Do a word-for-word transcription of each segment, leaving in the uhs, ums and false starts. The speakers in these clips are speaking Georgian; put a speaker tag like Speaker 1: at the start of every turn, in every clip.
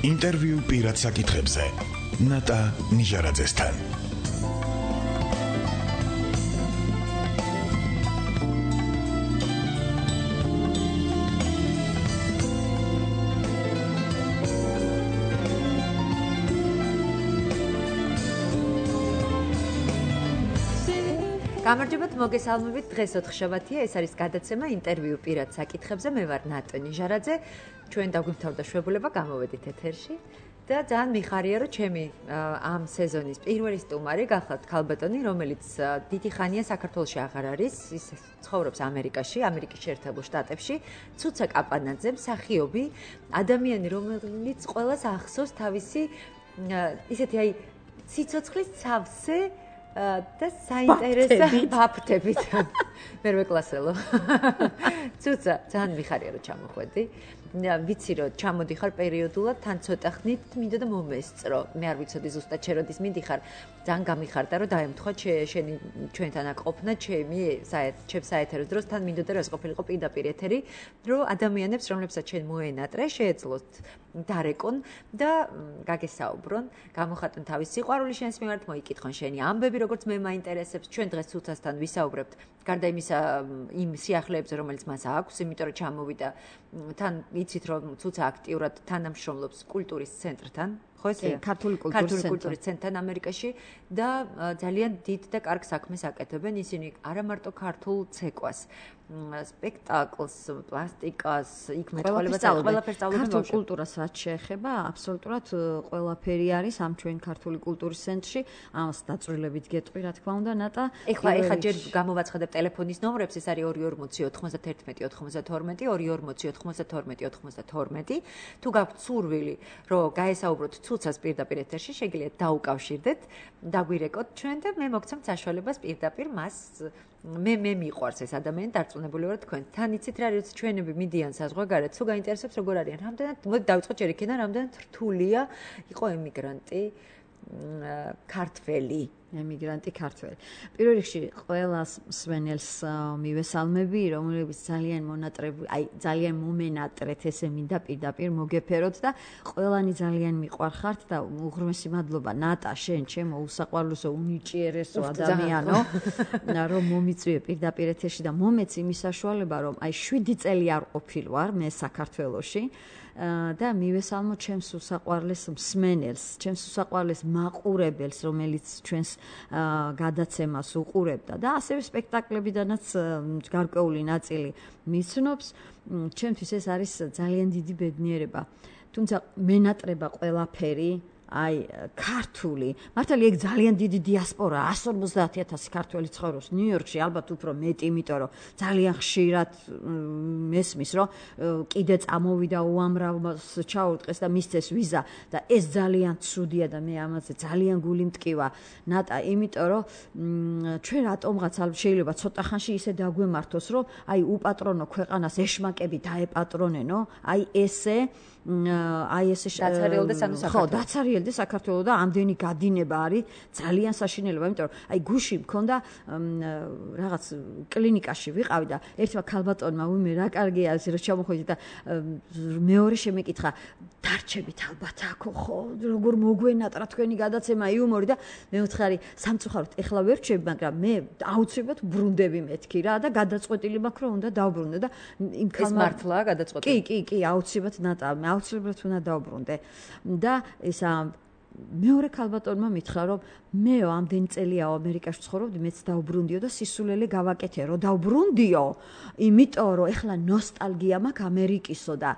Speaker 1: ინტერვიუ პირად საკითხებზე ნატა ნიჟარაძესთან.
Speaker 2: გამარჯობათ, მოგესალმებით. დღეს ოთხშაბათია, ეს არის გადაცემა ინტერვიუ პირად საკითხებზე. მე ვარ ნატა ნიჟარაძე. ჩვენ დაგვიმთავრდა შვებულება, გამოვედით ეთერში და ძალიან მიხარია, რომ ჩემი ამ სეზონის პირველი სტუმარი გახლავთ ქალბატონი, რომელიც დიდი ხანია საქართველოში აღარ არის, ის ცხოვრობს ამერიკაში, ამერიკის შეერთებულ შტატებში. ცუცა კაპანაძე, მსახიობი, ადამიანი, რომელიც ყველას ახსოვს თავისი ისეთი აი სიცოცხლის სავსე და საინტერესო ბაფთებით. მერვე კლასელო. ცუცა, ძალიან მიხარია, რომ ჩამოხვედი. ვიცი, რომ ჩამოდიხარ პერიოდულად, თან ცოტა ხნით მინდოდა მომესწრო. მე არ ვიცოდი ზუსტად შეროდის მიდიხარ. ძალიან გამიხარდა, რომ დაემთხვა შენი ჩვენთან აქ ყოფნა, ჩემი ჩემ საეთერო დროს თან მინდოდა, რომ ეს ყოფილიყო პირდაპირ ეთერი, რომ ადამიანებს, რომლებსაც შენ მოენატრე, შეეძლოთ დარეკონ და გაგესაუბრონ, გამოხატონ თავის სიყვარული შენს მიმართ, მოიკითხონ შენი ამბები, როგორც მე მაინტერესებს. ჩვენ დღეს ცუცასთან ვისაუბრებთ, გარდა იმისა იმ სიახლეებზე, რომელიც მას აქვს, იმიტომ რომ ჩამოვიდა თან იცით რომ ცუცა აქტიურად თანამშრომლობს კულტურის ცენტრთან, ხო ესეა? ქართული კულტურის ცენტრთან ამერიკაში და ძალიან დიდ და კარგ საქმეს აკეთებენ ისინი არა მარტო ქართულ ცეკვას, სპექტაკლს, პლასტიკას, იქ მეტყველებას, ყველაფერს სწავლობენ.
Speaker 3: ქართულ კულტურას რაც შეეხება, აბსოლუტურად ყველაფერი არის ამ ჩვენ ქართული კულტურის ცენტრში. ამას დაწვრილებით გეტყვი, რა თქმა უნდა, ნატა.
Speaker 2: ეხლა ეხლა ჯერ გამოვაცხადებ ტელეფონის ნომრებს, ეს არის ორი ორმოცი ოთხმოცდაერთმეტი ოთხმოცდათორმეტი, ორი ორმოცი ოთხმოცდათორმეტი ოთხმოცდათორმეტი. თუ გაქვთ სურვილი, რომ გაესაუბროთ ცუცას პირდაპირ ეთერში, შეგიძლიათ დაუკავშირდეთ, დაგვირეკოთ ჩვენ და მე მოგცემთ საშუალებას პირდაპირ მას მე მე მიყვარს ეს ადამიანი, დარწმუნებული ვარ თქვენ. თან იცით რა არის ჩვენები მიდიან საზღვარგარეთ, თუ გაინტერესებს როგორ არიან. რამდენად მოდი დავიწყოთ ჯერ იქიდან, რამდენად რთულია იყო ემიგრანტი ქართველი.
Speaker 3: ემიგრანტი ქართველი. პირველ რიგში ყველას მსმენელს მივესალმები, რომლებიც ძალიან მონატრები, აი ძალიან მომენატრეთ, ესე მინდა პირდაპირ მოგეფეროთ და ყველანი ძალიან მიყვარხართ და უღრმესი მადლობა ნატა, შენ ჩემო უსაყვარლესო, უნიჭიერესო ადამიანო, რომ მომიწვიე პირდაპირ ეთერში და მომეც იმის საშუალება, რომ აი შვიდი წელი არ ყოფილვარ მე საქართველოში. და მივესალმო ჩემს უსაყვარლეს მსმენელს, ჩემს უსაყვარლეს მაყურებელს, რომელიც ჩვენს გადაცემას უყურებდა და ასევე სპექტაკლებიდანაც გარკვეული ნაწილი მიცნობს. ჩემთვის ეს არის ძალიან დიდი ბედნიერება. თუმცა მენატრება ყველაფერი აი ქართული, მართალია ეგ ძალიან დიდი დიასპორა, εκατს ორმოცდაათი ათასი ქართველი ცხოვრობს ნიუ-იორკში, ალბათ უფრო მეტი, იმიტომ რომ ძალიან ხშირად მესმის, რომ კიდე წამოვიდა უამრავს ჩაურტყეს და მისცეს ვიზა და ეს ძალიან ცუდია და მე ამაზე ძალიან გული მტკივა. ნატა, იმიტომ რომ ჩვენ რატომღაც შეიძლება ცოტა ხანში ისე დაგვემართოს, რომ აი უპატრონო ქვეყანას ეშმაკები დაეპატრონენო, აი ესე აი ესე
Speaker 2: დაცარიელდა სამი საქართველო.
Speaker 3: ხო, დაცარიელდა საქართველო და ამდენი გადინება არის ძალიან საშინელება, იმიტომ რომ აი გუში მქონდა რაღაც კლინიკაში ვიყავი და ერთმა ქალბატონმა ვიმე რა კარგია ეს რომ ჩამოხვედი და მეორე შემეკითხა დარჩებით ალბათ აქ ხო როგორ მოგვენატრა თქვენი გადაცემა იუმორი და მე ვთხარი სამწუხაროდ ეხლა ვერ რჩები, მაგრამ მე აუცილებლად ბრუნდები მეთქი რა და გადაწყვეტილი მაქვს რომ უნდა დავბრუნდე და იმ
Speaker 2: ქალმა ეს მართლა გადაწყვეტილი.
Speaker 3: კი, კი, კი, აუცილებლად ნატა აუცილებლად უნდა დავბრუნდე და ესა მეორე ქალბატონმა მითხრა რომ მეო ამდენი წელია ამერიკაში ცხოვრობდი, მეც დავბრუნდიო და სისულელე გავაკეთე რომ დავბრუნდიო, იმიტომ რომ ეხლა ნოსტალგია მაქვს ამერიკისო და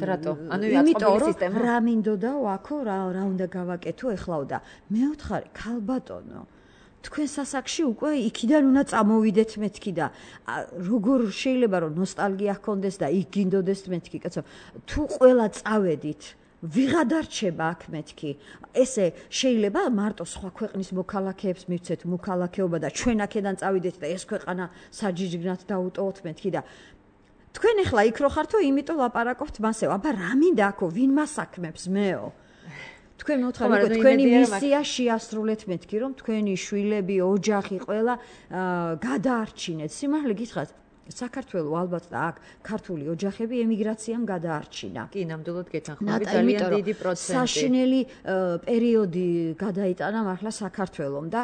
Speaker 2: რატო? ანუ
Speaker 3: იმიტომ რომ რა მინდოდა აქო რა რა უნდა გავაკეთო ეხლაო და მე ვთხარი ქალბატონო თქვენ სასაკში უკვე იქიდან უნდა წამოვიდეთ მეთქი და როგორ შეიძლება რომ ნოსტალგია ჰქონდეს და იქ გინდოდეს მეთქი, კაცო, თუ ყველა წავედით ვიღადა რჩება აქ მეთქი. ესე შეიძლება მარტო სხვა ქვეყნის მოქალაქეებს მივცეთ მოქალაქეობა და ჩვენ აქედან წავიდეთ და ეს ქვეყანა საჯიჯგნად დაუტოვოთ მეთქი და თქვენ ახლა იქ რო ხართო, იმიტომ ლაპარაკობთ მასეო. აბა რა მინდა აქო, ვინ მასაქმებს მეო? თქვენ მოთხარით თქვენი მისია შეასრულეთ მეთქი რომ თქვენი შვილები, ოჯახი ყველა გადაარჩინეთ. სიმართლე გითხრათ, საქართველოს ალბათ და აქ ქართული ოჯახები ემიგრაციამ გადაარჩინა.
Speaker 2: კი, ნამდვილად გეთანხმები, ძალიან დიდი პროცენტი.
Speaker 3: საშინელი პერიოდი გადაიტანა მართლა საქართველოს და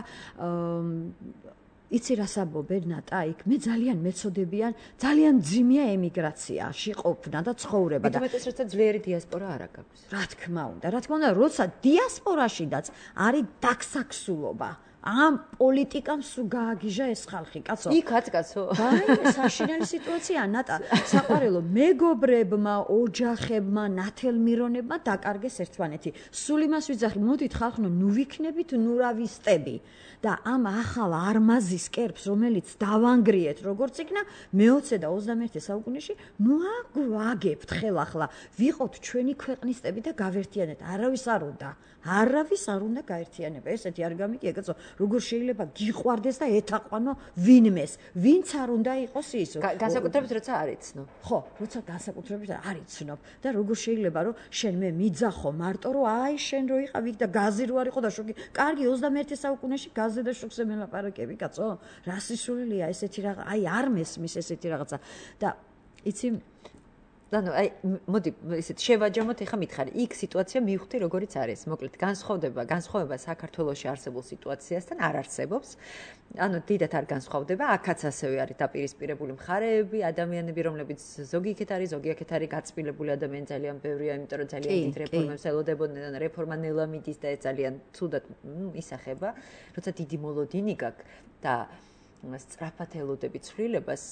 Speaker 3: იცი რა საბობ ნატა იქ მე ძალიან მეცოდებიან ძალიან ძიმია ემიგრაციაში ყოფნა და ცხოვრება
Speaker 2: და მეტად როცა ძლიერი დიასპორა არ აქვს.
Speaker 3: რა თქმა უნდა, რა თქმა უნდა, როცა დიასპორაშიდაც არის დაქსაქსულობა. ამ პოლიტიკამ სულ გააგიჟა ეს ხალხი, კაცო.
Speaker 2: იქაც კაცო.
Speaker 3: აი, საშინელი სიტუაცია, ნატა. საყვარელო მეგობრებმა, ოჯახებმა, ნათელმირონებმა დაკარგეს ერთმანეთი. სულ იმას ვიძახი, მოდით ხალხო, ნუ ვიქნებით ნურავისტები. და ამ ახალ არმაზის კერპს, რომელიც დავანგრიეთ, როგორც იქნა მეოცე და ოცდამეერთე საუკუნეში, ნუ აგვაგებთ ხელახლა, ვიყოთ ჩვენი ქვეყნისტები და გავერთიანეთ. არავის არ უნდა. არავის არ უნდა გაერთიანება. ესეთი არ გამიგია, კაცო, როგორ შეიძლება გიყვარდეს და ეთაყვანო ვინმეს, ვინც არ უნდა იყოს ის.
Speaker 2: განსაკუთრებით როცა არ იცნობ.
Speaker 3: ხო, როცა განსაკუთრებით არ იცნობ და როგორ შეიძლება რომ შენ მე მიძახო მარტო რომ აი შენ რო იყავი და გაზი რო არ იყო და შოქი. კარგი ოცდამეერთე საუკუნეში გაზზე და შოქზე მელაპარაკები, კაცო. რა სისულელია ესეთი რაღაც, აი არ მესმის ესეთი რაღაცა და იცი
Speaker 2: ანუ აი მოდი ისეთ შევაჯამოთ ეხა მითხარი იქ სიტუაცია მივხვდი როგორიც არის მოკლედ განსხვავდება განსხვავება საქართველოში არსებულ სიტუაციასთან არ არსებობს ანუ დიდათ არ განსხვავდება აქაც ასევე არის დაპირისპირებული მხარეები ადამიანები რომლებიც ზოგი იქეთ არის ზოგი აქეთ არის გაწმილებული ადამიანი ძალიან ბევრია იმიტომ რომ ძალიან დიდ რეფორმებს ელოდებოდნენ რეფორმა ნელა მიდის და ეს ძალიან ცუდად ისახება როცა დიდი მოლოდინი გაქვს და სწრაფად ელოდები ცვლილებას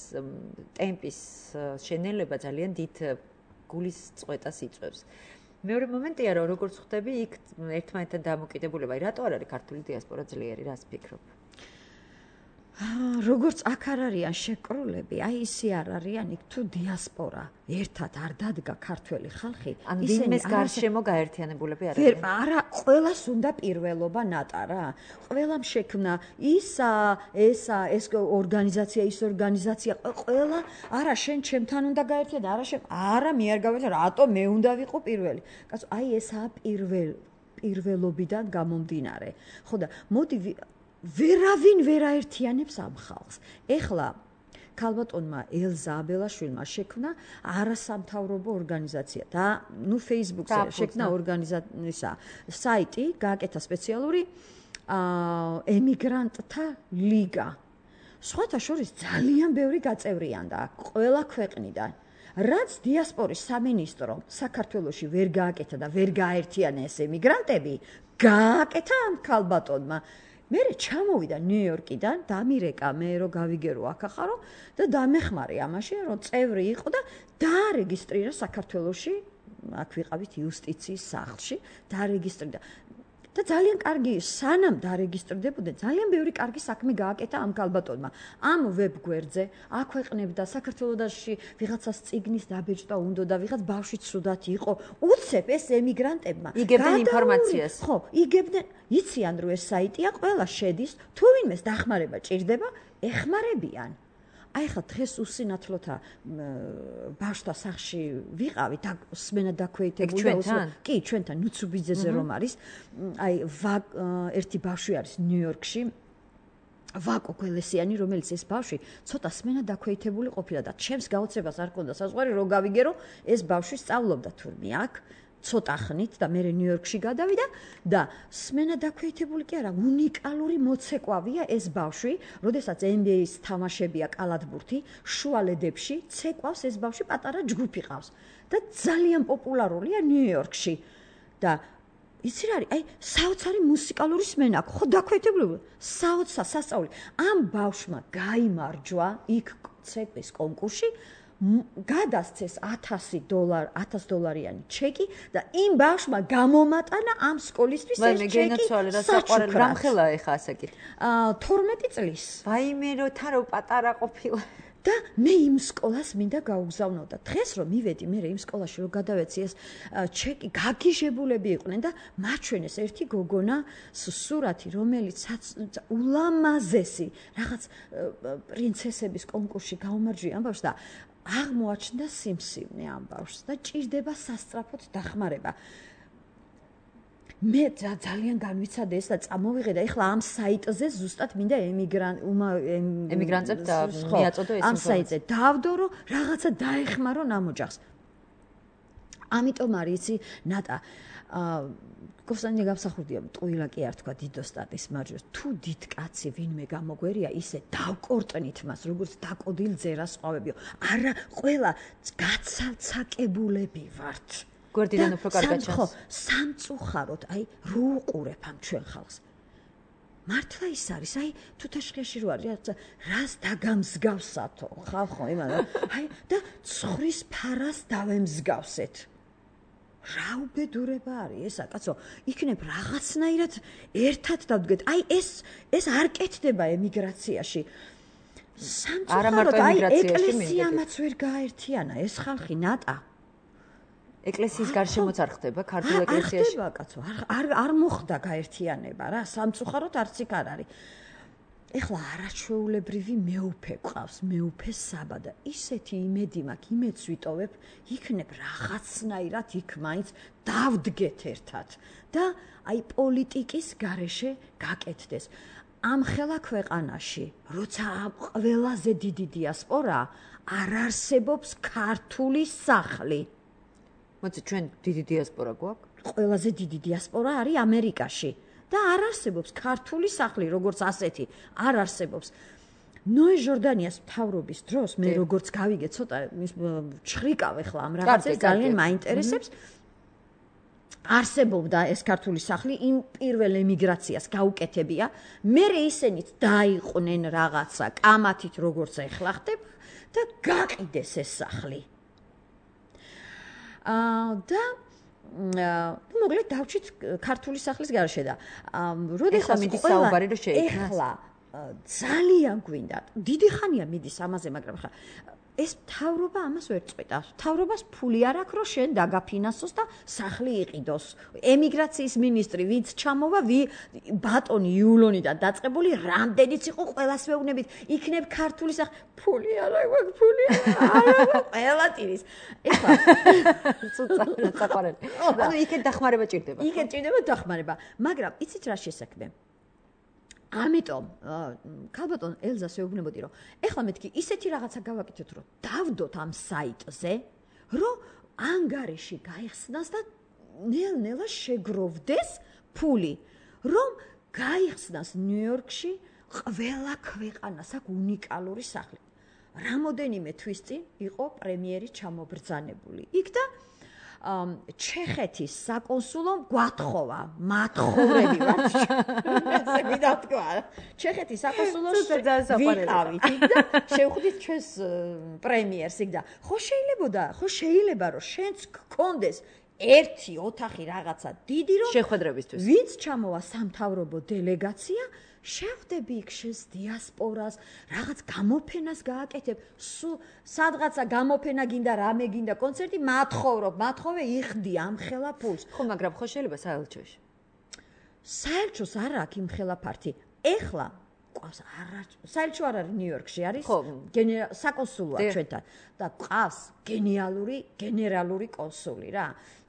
Speaker 2: ტემპის შენელება ძალიან დიდ გულის წვეტას იწვევს. მეორე მომენტია რომ როგორც ხვდები იქ ერთმანეთთან დამოკიდებულება, რატო არ არის ქართული დიასპორა ძლიერი, რას ფიქრობ?
Speaker 3: როგორც აქ არ არიან შეკრულები, აი ისე არ არიან იქ თუ დიასპორა ერთად არ დადგა ქართველი ხალხი,
Speaker 2: ისინი გარშემო გაერთიანებულები არ არიან.
Speaker 3: არა, ყველას უნდა პირველობა ნატა რა. ყველამ შექმნა ისა, ესა, ეს ორგანიზაცია, ის ორგანიზაცია, ყველა არა შენ ჩემთან უნდა გაერთიანო, არა შენ, არა მე არ გავერთიანო, რატო მე უნდა ვიყო პირველი. კაცო, აი ესაა პირველ პირველობიდან გამომდინარე. ხო და მოდი ვერავინ ვერ აერთიანებს ამ ხალხს. ეხლა ქალბატონმა ელზა აბელაშვილმა შექმნა არასამთავრობო ორგანიზაცია და ნუ Facebook-ზე შექმნა ორგანიზაცია საიტი, გააკეთა სპეციალური ემიგრანტთა ლიგა. სხვათა შორის ძალიან ბევრი გაწევრიანდა ყველა ქვეყნიდან. რაც დიასპორის სამინისტრო საქართველოში ვერ გააკეთა და ვერ გააერთიანა ეს ემიგრანტები, გააკეთა ამ ქალბატონმა. მე ჩამოვიდა ნიუ-იორკიდან, დამირეკა მე რომ გავიგერო აქ ახარო და დამეხმარე ამაში, რომ წევრი იყო და დაარეგისტრირა საქართველოში, აქ ვიყავით იუსტიციის სახლში, დაარეგისტრირდა. და ძალიან კარგი, სანამ დაარეგისტრდებოდნენ, ძალიან ბევრი კარგი საქმე გააკეთა ამ ქალბატონმა. ამ ვებგვერდზე აქვეყნებდა საქართველოში ვიღაცას წიგნის დაბეჭდა უნდა და ვიღაც ბავშვი ცუდად იყო. უცებ ეს ემიგრანტებმა
Speaker 2: იგებდნენ ინფორმაციას.
Speaker 3: ხო, იგებდნენ, იციან რომ ეს საიტია, ყველა შედის, თუ ვინმეს დახმარება ჭირდება, ეხმარებიან. აი ხა დღეს უსინათლოთა ბავშთა სახლში ვიყავით, სმენა დაქვეითებული და კი, ჩვენთან ნუცუბიძეზე რომ არის, აი ერთი ბავშვი არის ნიუ-იორკში, ვაკო გველესიანი, რომელიც ეს ბავშვი ცოტა სმენა დაქვეითებული ყოფილა და ჩემს გაოცებას არ ქონდა საზღვარი, რომ გავიგერო, ეს ბავშვი სწავლობდა თურმე აქ. ცოტა ხნით და მე ნიუ-იორკში გადავიდა და სმენა დაქვეითებული კი არა, უნიკალური მოცეკვავია ეს ბავშვი, როდესაც ენ ბი ეის თამაშებია კალათბურთი, შუალედებში ცეკვავს ეს ბავშვი, პატარა ჯგუფი ყავს და ძალიან პოპულარულია ნიუ-იორკში და იცი რა არის, აი საოცარი მუსიკალური სმენა აქვს, ხო დაქვეითებული, საოცარ სასწაული. ამ ბავშვმა გაიმარჯვა იქ ცეკვის კონკურსში გადასცეს ათასი დოლარი, ათას დოლარიანი ჩეკი და იმ ბავშვმა გამომატანა ამ სკოლისთვის ეს ჩეკი.
Speaker 2: მე გენაცვალე რა საყვარელი რამხელა ეხა ასაკი.
Speaker 3: აა თორმეტი წლის.
Speaker 2: ვაიმე რო თან რო პატარა ყოფილა.
Speaker 3: და მე იმ სკოლას მინდა გაუგზავნო და დღეს რომ მივედი მე იმ სკოლაში რომ გადავეცი ეს ჩეკი გაგიჟებულები იყვნენ და მაჩვენეს ერთი გოგონა სურათი რომელიც ულამაზესი რაღაც პრინცესების კონკურსში გაუმარჯვია ამ ბავშვს და აღმოაჩნდა სიმსივნე ამ ბავშვს და ჭირდება სასწრაფოდ დახმარება. მე ძალიან განვიცადე ეს და წამოვიღე და ეხლა ამ საიტზე ზუსტად მინდა ემიგრანტ
Speaker 2: ემიგრანტებს მიაწოდო ეს
Speaker 3: ამ საიტზე დავდო რომ რაღაცა დაეხმარო ნამოჯახს. ამიტომ არის იცი ნატა გოსანი გამსახურდია ტყუილა კი არ თქვა დიდოსტატის მარჯვეს თუ დიდ კაცი ვინმე გამოგვერია ისე დავკორტნით მას როგორც დაკოდილ ძერას ყვავებიო არა ყველა გაცალცაკებულები ვართ
Speaker 2: გვერდიდან უფრო კარგად ჩანს
Speaker 3: ხო სამწუხაროდ აი რო უყურებ ამ ჩვენ ხალხს მართლა ის არის აი თუთაშხიაში რო არის რას დაგამსგავსათო ხალხო იმანა აი და ცხვრის ფარას დავემსგავსეთ რა უბედურება არის ესა კაცო იქნებ რაღაცნაირად ერთად დავდგეთ აი ეს ეს არ კეთდება ემიგრაციაში სამწუხაროდ აი ეკლესიამაც ვერ გააერთიანა ეს ხალხი ნატა
Speaker 2: ეკლესიის გარშემოც არ ხდება ქართულ ეკლესიაში
Speaker 3: არ ხდება კაცო არ არ მოხდა გაერთიანება რა სამწუხაროდ არც იქ არ არის ეხლა არაჩვეულებრივი მეუფე ყავს მეუფე საბა და ისეთი იმედი მაქვს იმედს ვიტოვებ იქნებ რაღაცნაირად იქ მაინც დავდგეთ ერთად და აი პოლიტიკის გარეშე გაკეთდეს ამ ხელა ქვეყანაში როცა ყველაზე დიდი დიასპორა არ არსებობს ქართული სახლი
Speaker 2: მოდი ჩვენ დიდი დიასპორა გვაქვს
Speaker 3: ყველაზე დიდი დიასპორა არის ამერიკაში და არ არსებობს ქართული სახლი როგორც ასეთი არ არსებობს ნოე ჟორდანიას მთავრობის დროს მე როგორც გავიგე ცოტა ჩხრიკავ ახლა ამ რაღაცებს ძალიან მაინტერესებს არსებობდა ეს ქართული სახლი იმ პირველ ემიგრაციას გაუკეთებია მე ისინიც დაიყვნენ რაღაცა კამათით როგორც ახლა ხდება და გაყიდეს ეს სახლი აა და მოკლედ დავჭით ქართული სახლის გარშე და როდესაც
Speaker 2: მიდის საუბარი რომ შეიქმნას
Speaker 3: ეხლა ძალიან გვინდა დიდი ხანია მიდის ამაზე მაგრამ ხა ეს მთავრობა ამას ვერ წყვეტავს მთავრობას ფული არ აქვს რომ შენ დაგაფინანსოს და სახლი იყიდოს ემიგრაციის მინისტრი ვინც ჩამოვა ვი ბატონი იულონიდან დაწყებული რამდენიც იყო ყველას ვეუბნებით იქნებ ქართული სახლი ფული არა გვაქვს ფული არა ყველა ტირის ეხლა
Speaker 2: ცუცა საყვარელი ანუ იქეთ დახმარება ჭირდება
Speaker 3: იქეთ ჭირდება დახმარება მაგრამ იცით რა შესაქმე ამიტომ ქალბატონ ელზას ვეუბნებოდი რომ ეხლა მეთქი ისეთი რაღაცა გავაკეთოთ რომ დავდოთ ამ საიტზე რომ ანგარიში გაიხსნას და ნელ-ნელა შეგროვდეს ფული რომ გაიხსნას ნიუ-იორკში ყველა ქვეყანას აქვს უნიკალური სახლი რამოდენიმე თვის წინ იყო პრემიერი ჩამობრძანებული იქ და ჩეხეთის საკონსულომ გვათხოვა მათხოვრები ვართ ესე მიდათქვა ჩეხეთის საკონსულოს ვიყავით იქ და შევხვდით ჩვენს პრემიერს იქ და ხო შეიძლებოდა ხო შეიძლება რომ შენც გქონდეს ერთი ოთახი რაღაცა დიდი რომ
Speaker 2: შეხვედრებისთვის
Speaker 3: ვინც ჩამოვა სამთავრობო დელეგაცია შევხვდები იქ შენს დიასპორას რაღაც გამოფენას გააკეთებ სულ სადღაცა გამოფენა გინდა რამე გინდა კონცერტი მათხოვრობ მათხოვე იხდი ამ ხელა ფულს
Speaker 2: ხო მაგრამ ხო შეიძლება საელჩოში
Speaker 3: საელჩოს არ აქვს იმ ხელა ფართი ეხლა ყავს არა საელჩო არ არის ნიუ-იორკში არის საკონსულოა ჩვენთან და ყავს გენიალური გენერალური კონსული რა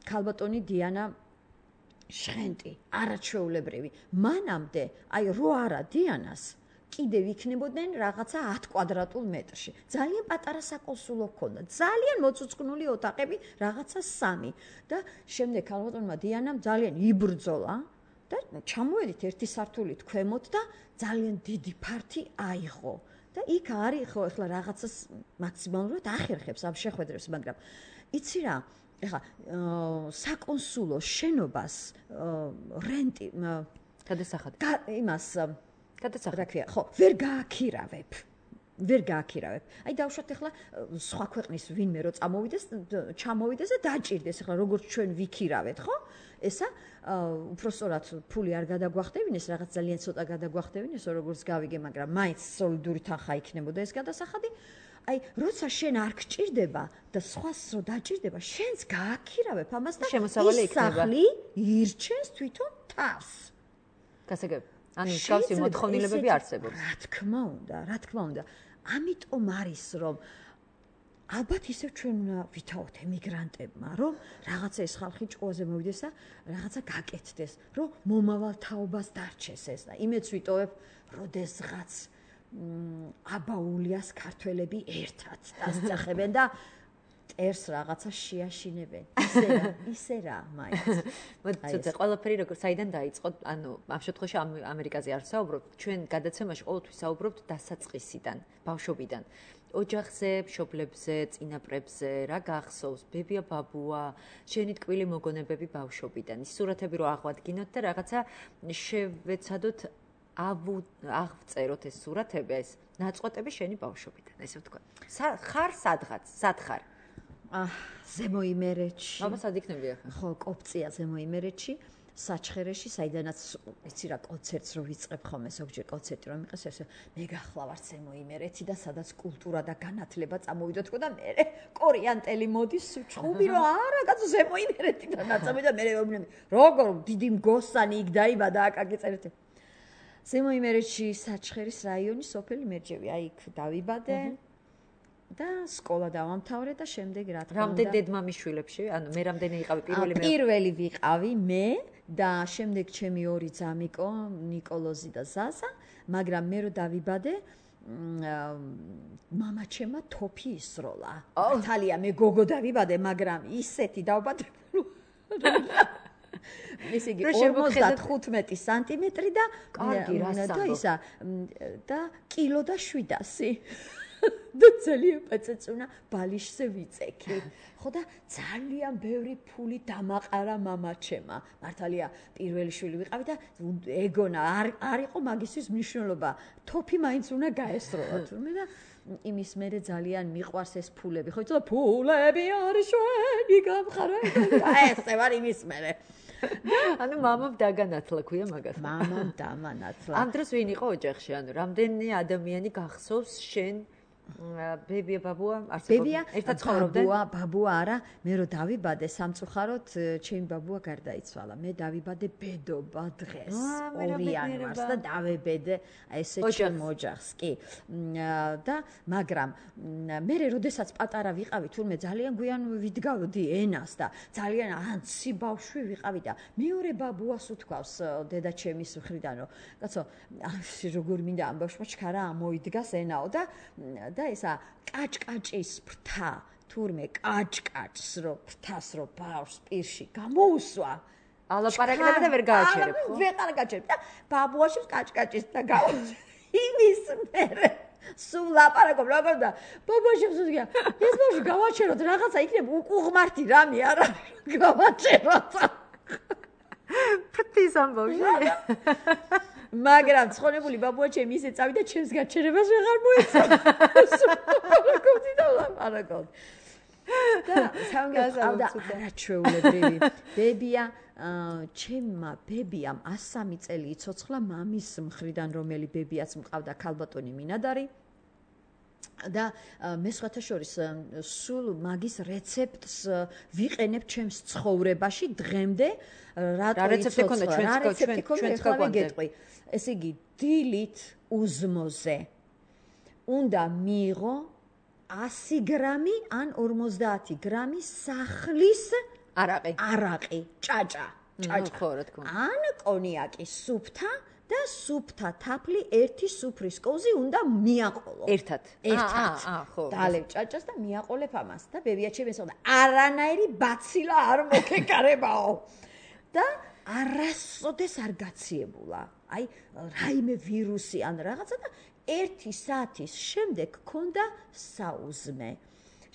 Speaker 3: ქალბატონი დიანა შხენტი არაჩვეულებრივი მანამდე აი რო არა დიანას კიდევ იქნებოდნენ რაღაცა ათ კვადრატულ მეტრში ძალიან პატარა საკონსულო ჰქონდა ძალიან მოცუცკნული ოთახები რაღაცა სამი და შემდეგ ქალბატონმა დიანამ ძალიან იბრძოლა და ჩამოვედით ერთი სართულით ქვემოთ და ძალიან დიდი ფართი აიღო და იქ არის ხო ახლა რაღაცას მაქსიმალურად ახერხებს ამ შეხვედრებს მაგრამ იცი რა ეხლა საკონსულო შენობას რენტი
Speaker 2: გადასახადი
Speaker 3: იმას
Speaker 2: გადასახადი
Speaker 3: რა ქვია ხო ვერ გააქირავებ ვერ გააქირავებ აი დავუშვათ ეხლა სხვა ქვეყნის ვინმე რო წამოვიდეს ჩამოვიდეს და დაჭირდეს ეხლა როგორც ჩვენ ვიქირავეთ ხო ესა უпроსტორად ფული არ გადაგვახდებინეს რაღაც ძალიან ცოტა გადაგვახდებინეს როგორც გავიგე მაგრამ მაინც სოლიდური თანხა იქნებოდა ეს გადასახადი აი როცა შენ არ გჭირდება და სხვას რო დაჭირდება შენს გააქირავებ ამას და
Speaker 2: შემოსავალი იქნება
Speaker 3: სახლი ირჩენს თვითონ თავს
Speaker 2: გასაგები ანუ მსგავსი მოთხოვნილებები არსებობს
Speaker 3: რა თქმა უნდა რა თქმა უნდა ამიტომ არის რომ ალბათ ისევ ჩვენ უნდა ვითაოთ ემიგრანტებმა, რომ რაღაცა ეს ხალხი ჭუაზე მოვიდეს და რაღაცა გაკეთდეს, რომ მომავალ თაობას დარჩეს ეს და იმეც ვიტოვებ, როდესღაც აბაულიას ქართველები ერთად დასწახებენ და ტერს რაღაცა შეაშინებენ. ისე რა, ისე რა, მაინც.
Speaker 2: მოდი, ყველაფერი როგორ საიდან დაიწყო? ანუ ამ შემთხვევაში ამერიკაზე არ საუბრობთ, ჩვენ გადაცემაში ყოველთვის საუბრობთ დასაწყისიდან, ბავშვობიდან. ოჯახზე, მშობლებზე, წინაპრებზე, რა გახსოვს? ბებია, ბაბუა, შენი ტკბილი მოგონებები ბავშვობიდან. ის სურათები რო აღვადგინოთ და რაღაცა შევეცადოთ აღწეროთ ეს სურათები, ეს ნაწყვეტები შენი ბავშვობიდან, ესე ვთქვა. ხარ სადღაც, სად ხარ?
Speaker 3: აა, ზემო იმერეთში.
Speaker 2: აბა, სად იქნები ახლა?
Speaker 3: ხო, კოპწია ზემო იმერეთში, საჩხერეში, საიდანაც იცი რა კონცერტს რო ვიწყებ ხოლმე, ზოგჯერ კონცერტი რომ იყეს, ესე მე გახლავართ ზემო იმერეთი და სადაც კულტურა და განათლება წამოვიდო თქო და მე კორიანტელი მოდის ჩხუბი რომ არა, კაცო ზემო იმერეთიდან ნაწამი და მე ვეუბნები, როგორ დიდი მგოსანი იქ დაიბადა აკაკი წერეთე. ზემო იმერეთში საჩხერის რაიონი სოფელი მერჯევი, აი იქ დავიბადე. და სკოლა დავამთავრე და შემდეგ რა თქმა უნდა.
Speaker 2: რამდენ დედმამიშვილებში? ანუ მე რამდენი იყავი პირველი მე?
Speaker 3: პირველი ვიყავი მე და შემდეგ ჩემი ორი ძამიკო, ნიკოლოზი და ზაზა, მაგრამ მე რო დავიბადე, მამაჩემმა თოფი ისროლა. თალია მე გოგო დავიბადე, მაგრამ ისეთი დავბადებული. ესე იგი ორმოცდათხუთმეტი სანტიმეტრი და
Speaker 2: კარგი რას
Speaker 3: და ისა და კილო და შვიდასი. და ძალიან პეცეწუნა ბალიშზე ვიწექი. ხო და ძალიან ბევრი ფული დამაყარა მამაჩემმა. მართალია პირველი შვილი ვიყავი და ეგონა არ არ იყო მაგისთვის მნიშვნელობა. თოფი მაინც უნდა გაესროლა თურმე და იმის მერე ძალიან მიყვარს ეს ფულები. ხო იცოდა ფულები არის შვენი გამხარებელი. აი ესე ვარ იმის მერე.
Speaker 2: ანუ მამამ დაგანათლა ქვია მაგას.
Speaker 3: მამამ დამანათლა.
Speaker 2: ამ დროს ვინ იყო ოჯახში? ანუ რამდენი ადამიანი გახსოვს შენ ბებია ბაბუა
Speaker 3: არსებობდა ერთად ცხოვრობდნენ ბაბუა ბაბუა არა მე რო დავიბადე სამწუხაროდ ჩემი ბაბუა გარდაიცვალა მე დავიბადე ბედობა დღეს ორი იანვარს და დავებედე ესე ჩემ ოჯახს კი და მაგრამ მე როდესაც პატარა ვიყავი თურმე ძალიან გვიან ვიდგავდი ენას და ძალიან ანცი ბავშვი ვიყავი და მეორე ბაბუას უთქვავს დედა ჩემის მხრიდან რომ კაცო როგორ მინდა ამ ბავშვმა ჩქარა მოიდგას ენაო და და ესა კაჭკაჭის ფრთა თურმე კაჭკაჭს რო ფრთას რო ბავშვს პირში გამოუსვა
Speaker 2: ალაპარაკდება და ვერ გააჩერებ
Speaker 3: ხო ვეღარ გააჩერებ და ბაბუაში კაჭკაჭის და გაუსვა იმის მერე სულ ლაპარაკობ როგორ და ბაბუაში ვსუგია ეს ბავშვი გავაჩეროთ რაღაცა იქნება უკუღმართი რამე არა გავაჩეროთ
Speaker 2: ფრთის ამბავში
Speaker 3: მაგრამ ცხონებული ბაბუა ჩემი ისე წავიდა ჩემს გაჩერებას ვეღარ მოეცადა. ლაპარაკობდი და ლაპარაკობდი. და სამგავდა არაჩვეულებრივი. ბებია ჩემმა ბებიამ ასი სამი წელი იცოცხლა მამის მხრიდან რომელი ბებიაც მყავდა ქალბატონი მინადარი. და მე სხვათა შორის სულ მაგის რეცეპტს ვიყენებ ჩემს ცხოვრებაში დღემდე რატო იცოცხლა რა რეცეპტი ქონდა ჩვენ გეტყვი ესე იგი დილით უზმოზე უნდა მიიღო ასი გრამი ან ორმოცდაათი გრამი სახლის
Speaker 2: არაყი
Speaker 3: არაყი ჭაჭა ჭაჭა
Speaker 2: ხო რა თქმა უნდა
Speaker 3: ან კონიაკი სუფთა და სუფთა თაფლი ერთი სუფრის კოზი უნდა მიაყოლო.
Speaker 2: ერთად.
Speaker 3: ერთად.
Speaker 2: აა, ხო.
Speaker 3: დალევ ჭაჭას და მიაყოლებ ამას და ბებია ჩემი ესწოდა არანაირი ბაცილა არ მოგეკარებაო. და არასოდეს არ გაციებულა. აი რაიმე ვირუსი ან რაღაცა და ერთი საათის შემდეგ ქონდა საუზმე.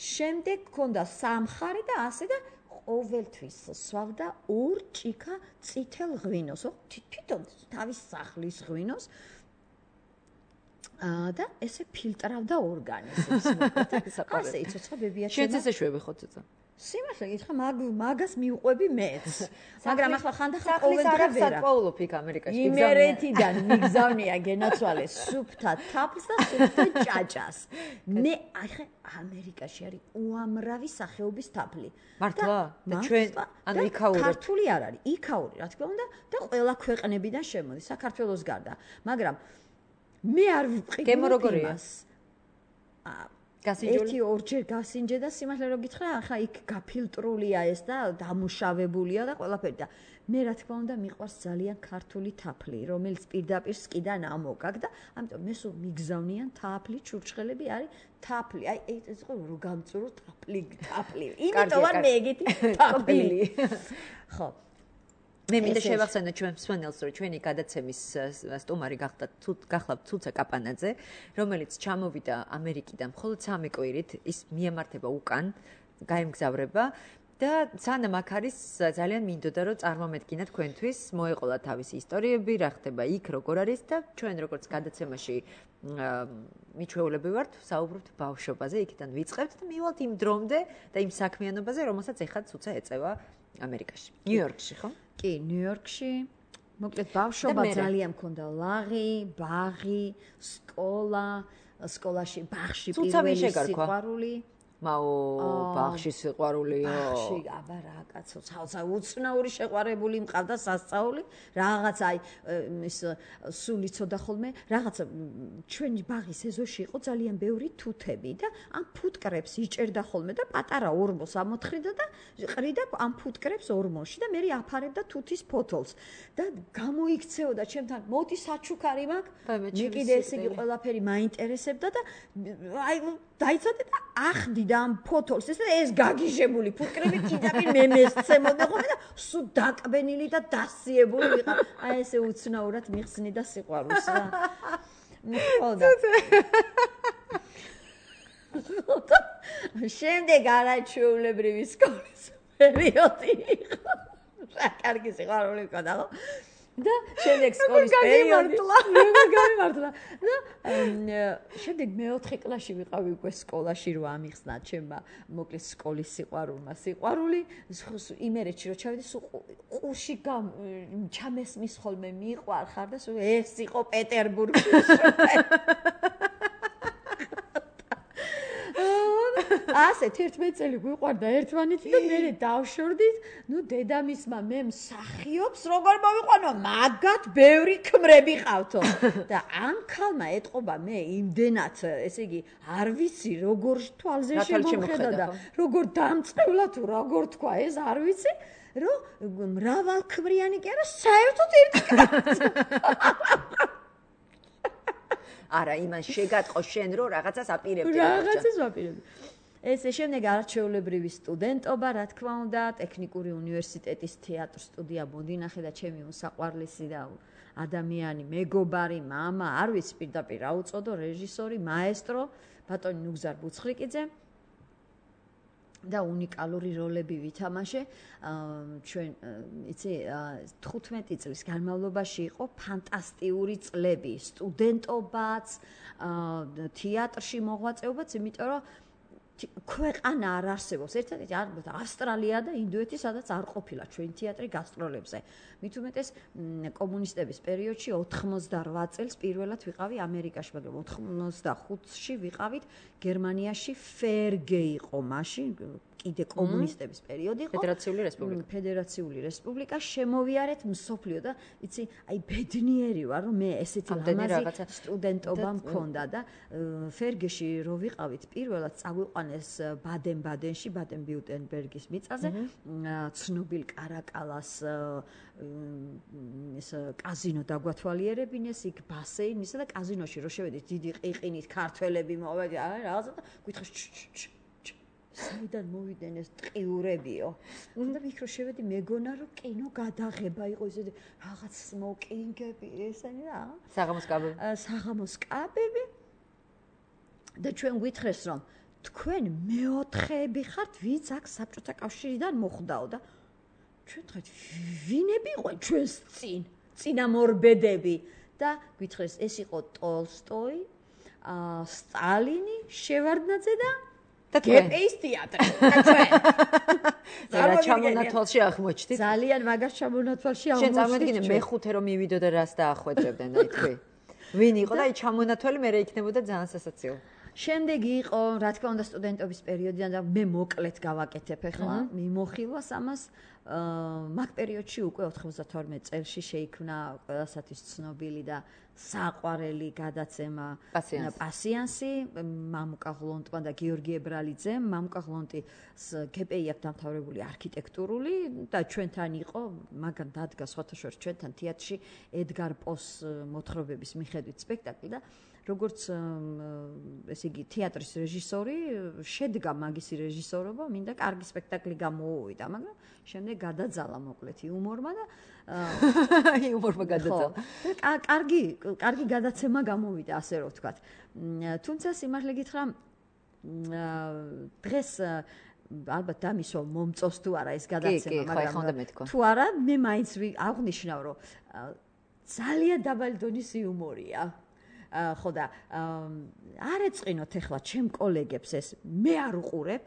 Speaker 3: შემდეგ ქონდა სამხარე და ასე და ყოველთვის სვავდა ორ ჭიქა წითელ ღვინოს, თვითონ თავის სახლის ღვინოს. და ესე ფილტრავდა ორგანიზმს. ასე იცოცხლა ბებია ჩემო.
Speaker 2: შენც ესე შვები ხო ცოტა?
Speaker 3: სიმართლე გითხრა, მაგ მაგას მიუყვები მეც. მაგრამ ახლა ხანდახან
Speaker 2: ყოველ დღე ვერ ვსწავლობ იქ ამერიკაში.
Speaker 3: იმერეთიდან მიგზავნია გენაცვალე სუფთა თაფლს და სუფთა ჭაჭას. მე ახლა ამერიკაში არის უამრავი სახეობის თაფლი.
Speaker 2: მართლა? და ჩვენ ანუ იქაურებ.
Speaker 3: ქართული არ არის, იქაური, რა თქმა უნდა, და ყველა ქვეყნებიდან შემოდის, საქართველოს გარდა. მაგრამ მე არ ვიყიდე
Speaker 2: გემო როგორია?
Speaker 3: ერთი ორჯერ გასინჯე და სიმართლე რომ გითხრა, ახლა იქ გაფილტრულია ეს და დამუშავებულია და ყველაფერი და მე რა თქმა უნდა მიყვარს ძალიან ქართული თაფლი, რომელიც პირდაპირ სკიდან ამოგაგ და ამიტომ მე სულ მიგზავნიან თაფლი, ჩურჩხელები არის თაფლი. აი ეს იყო რომ გამწურო თაფლი, თაფლი. იმიტომ არ მეგეთი თაფლი. ხო.
Speaker 2: მე მინდა შევახსენო ჩვენ მსმენელს, რომ ჩვენი გადაცემის სტუმარი გახლავთ ცუცა კაპანაძე, რომელიც ჩამოვიდა ამერიკიდან მხოლოდ სამი კვირით, ის მიემართება უკან, გაემგზავრება და სანამ აქ არის ძალიან მინდოდა რომ წარმომედგინა თქვენთვის, მოეყოლა თავისი ისტორიები, რა ხდება იქ, როგორ არის და ჩვენ როგორც გადაცემაში მიჩვეულები ვართ, საუბრობთ ბავშვობაზე, იქიდან ვიწყებთ და მივალთ იმ დრომდე და იმ საქმიანობაზე, რომელსაც ეხლა ცუცა ეწევა ამერიკაში, ნიუ-იორკში, ხო?
Speaker 3: კი, ნიუ-იორკში. მოკლედ ბავშვობა ძალიან მქონდა ლაღი, ბაღი, სკოლა, სკოლაში ბაღში პირველი სიყვარული.
Speaker 2: მაო, ბაღში სიყვარულიო.
Speaker 3: ბაღში, აბა რა კაცო, ცალსა უცნაური შეყვარებული მყავდა სასწაული, რაღაც აი ის სული ცოდა ხოლმე, რაღაც ჩვენი ბაღის ეზოში იყო ძალიან ბევრი თუთები და ამ ფუტკრებს იჭერდა ხოლმე და პატარა ორმოს ამოთხრიდა და ყრიდა ამ ფუტკრებს ორმოში და მე აფარებდა თუთის ფოთოლს და გამოიქცეოდა ჩემთან, მოდი საჩუქარი მაქვს, მე კიდე ესე იგი ყველაფერი მაინტერესებდა და აი დაიცადე და ახდიდა ამ ფოთოლს ეს და ეს გაგიჟებული ფუტკრები კიდევ მე მესცემოდა ხოლმე და სულ დაკბენილი და დასიებული ვიყავ. აი ესე უცნაურად მიხსნიდა სიყვარულს რა. მიხოდა. შემდეგ არაჩვეულებრივი სკოლის პერიოდი იყო. რა კარგი სიყვარული მქონდა ხო? და შემდეგ სკოლის პერიოდი როგორ გამიმართლა და შემდეგ მეოთხე კლასში ვიყავი უკვე სკოლაში რომ ამიხსნა ჩემმა მოკლედ სკოლის სიყვარულმა სიყვარული იმერეთში რომ ჩავედი სულ ყურში ჩამესმის ხოლმე მიყვარხარ და სულ ეს იყო პეტერბურგში ასე თერთმეტ წელი გვიყვარდა ერთმანეთი და მე დავშორდით, ნუ დედამისმა მე მსახიობს როგორ მოვიყვანო, მაგათ ბევრი ქმრები ყავთო. და ამ ქალმა ეტყობა მე იმდენად, ესე იგი, არ ვიცი როგორ თვალზე შემოხედა და როგორ დამწყევლა თუ როგორ თქვა ეს არ ვიცი, რომ მრავალქმრიანი კი არა, საერთოდ ერთი კაცი.
Speaker 2: არა, იმან შეგატყო შენ რომ რაღაცას აპირებდი.
Speaker 3: რაღაცას ვაპირებდი. ესე შემდეგ არჩეულებრივი სტუდენტობა, რა თქმა უნდა, ტექნიკური უნივერსიტეტის თეატრ სტუდია მოდინახე და ჩემი უსაყვარლესი და ადამიანი, მეგობარი, მამა, არ ვიცი პირდაპირ რა უწოდო, რეჟისორი, მაესტრო, ბატონი ნუგზარ ბუცხრიკიძე და უნიკალური როლები ვითამაშე. ჩვენ, იცი, თხუთმეტი წლის განმავლობაში იყო ფანტასტიკური წლები, სტუდენტობაც, თეატრში მოღვაწეობაც, იმიტომ რომ ქვეყანა არ არსებობს. ერთადერთი ავსტრალია და ინდოეთი, სადაც არ ყოფილა ჩვენი თეატრი გასტროლებზე. მით უმეტეს კომუნისტების პერიოდში ოთხმოცდარვა წელს პირველად ვიყავი ამერიკაში, მაგრამ ოცდახუთში ვიყავით გერმანიაში. ფერგე იყო მაშინ, კიდე კომუნისტების პერიოდი იყო.
Speaker 2: ფედერაციული რესპუბლიკა.
Speaker 3: ფედერაციული რესპუბლიკა შემოვიარეთ მსოფლიო და იცი, აი ბედნიერი ვარ, რომ მე ესეთი ლამაზი სტუდენტობა მქონდა და ფერგეში რო ვიყავით პირველად წაგვიყვანეს ბადენ-ბადენში, ბადენ-ვიურტემბერგის მიწაზე, ცნობილ კარაკალას ეს კაზინო დაგვათვალიერებინეს, იქ ბასეინისა და კაზინოში რო შევედით დიდი ყიყინით ქართველები მოვედი, რაღაცა და გითხრეს საიდან მოვიდნენ ეს ტყიურებიო. და ვიქრო შევედი მეგონა რომ კინო გადაღება იყო ისე რაღაც სმოკინგები ესენი რა.
Speaker 2: საღამოს კაბები.
Speaker 3: საღამოს კაბები. და ჩვენ გითხრეს რომ თქვენ მეოთხეები ხართ, ვინც აქ საბჭოთა კავშირიდან მოხვდაო და ჩვენ თქვით ვინები იყვნენ ჩვენს წინ, წინამორბედები და გითხრეს ეს იყო ტოლსტოი, სტალინი, შევარდნაძე და და გეპეის თეატრი და ჩვენ
Speaker 2: რა ჩამონათვალში აღმოჩნდით
Speaker 3: ძალიან მაგარ ჩამონათვალში აღმოჩნდით
Speaker 2: შენ წარმოგიდგენე მეხუთე რომ მივიდო და რას დაახვეწებდნენ აი თქვი ვინ იყო და აი ჩამონათვალი მე რა იქნებოდა ძალიან სასაცილო
Speaker 3: შემდეგი იყო რა თქმა უნდა სტუდენტობის პერიოდიდან და მე მოკლედ გავაკეთებ ახლა მიმოხილვას ამას მაგ პერიოდში უკვე ოთხმოცდათორმეტ წელში შეიქმნა ყველასათვის ცნობილი და საყვარელი გადაცემა პასიანსი მამუკა ღლონტმა და გიორგი ებრალიძემ. მამუკა ღლონტის კეპეი აქვს დამთავრებული არქიტექტურული და ჩვენთან იყო, მაგან დადგა სხვათა შორის ჩვენთან თეატრში ედგარ პოს მოთხრობების მიხედვით სპექტაკლი და როგორც ესე იგი თეატრის რეჟისორი შედგა მაგისი რეჟისორობა, მინდა კარგი სპექტაკლი გამოუვიდა, მაგრამ შემდეგ გადაძალა მოკლედ იუმორმა და
Speaker 2: იუმორმა გადაძალა.
Speaker 3: კარგი, კარგი გადაცემა გამოვიდა, ასე რომ ვთქვათ. თუმცა სიმართლე გითხრა, დღეს ალბათ დამისვა მომწოს თუ არა ეს გადაცემა,
Speaker 2: მაგრამ
Speaker 3: თუ არა, მე მაინც აღვნიშნავ, რომ ძალიან დაბალი დონის იუმორია. ხო და არ ეწყინოთ ახლა ჩემ კოლეგებს ეს, მე არ უყურებ,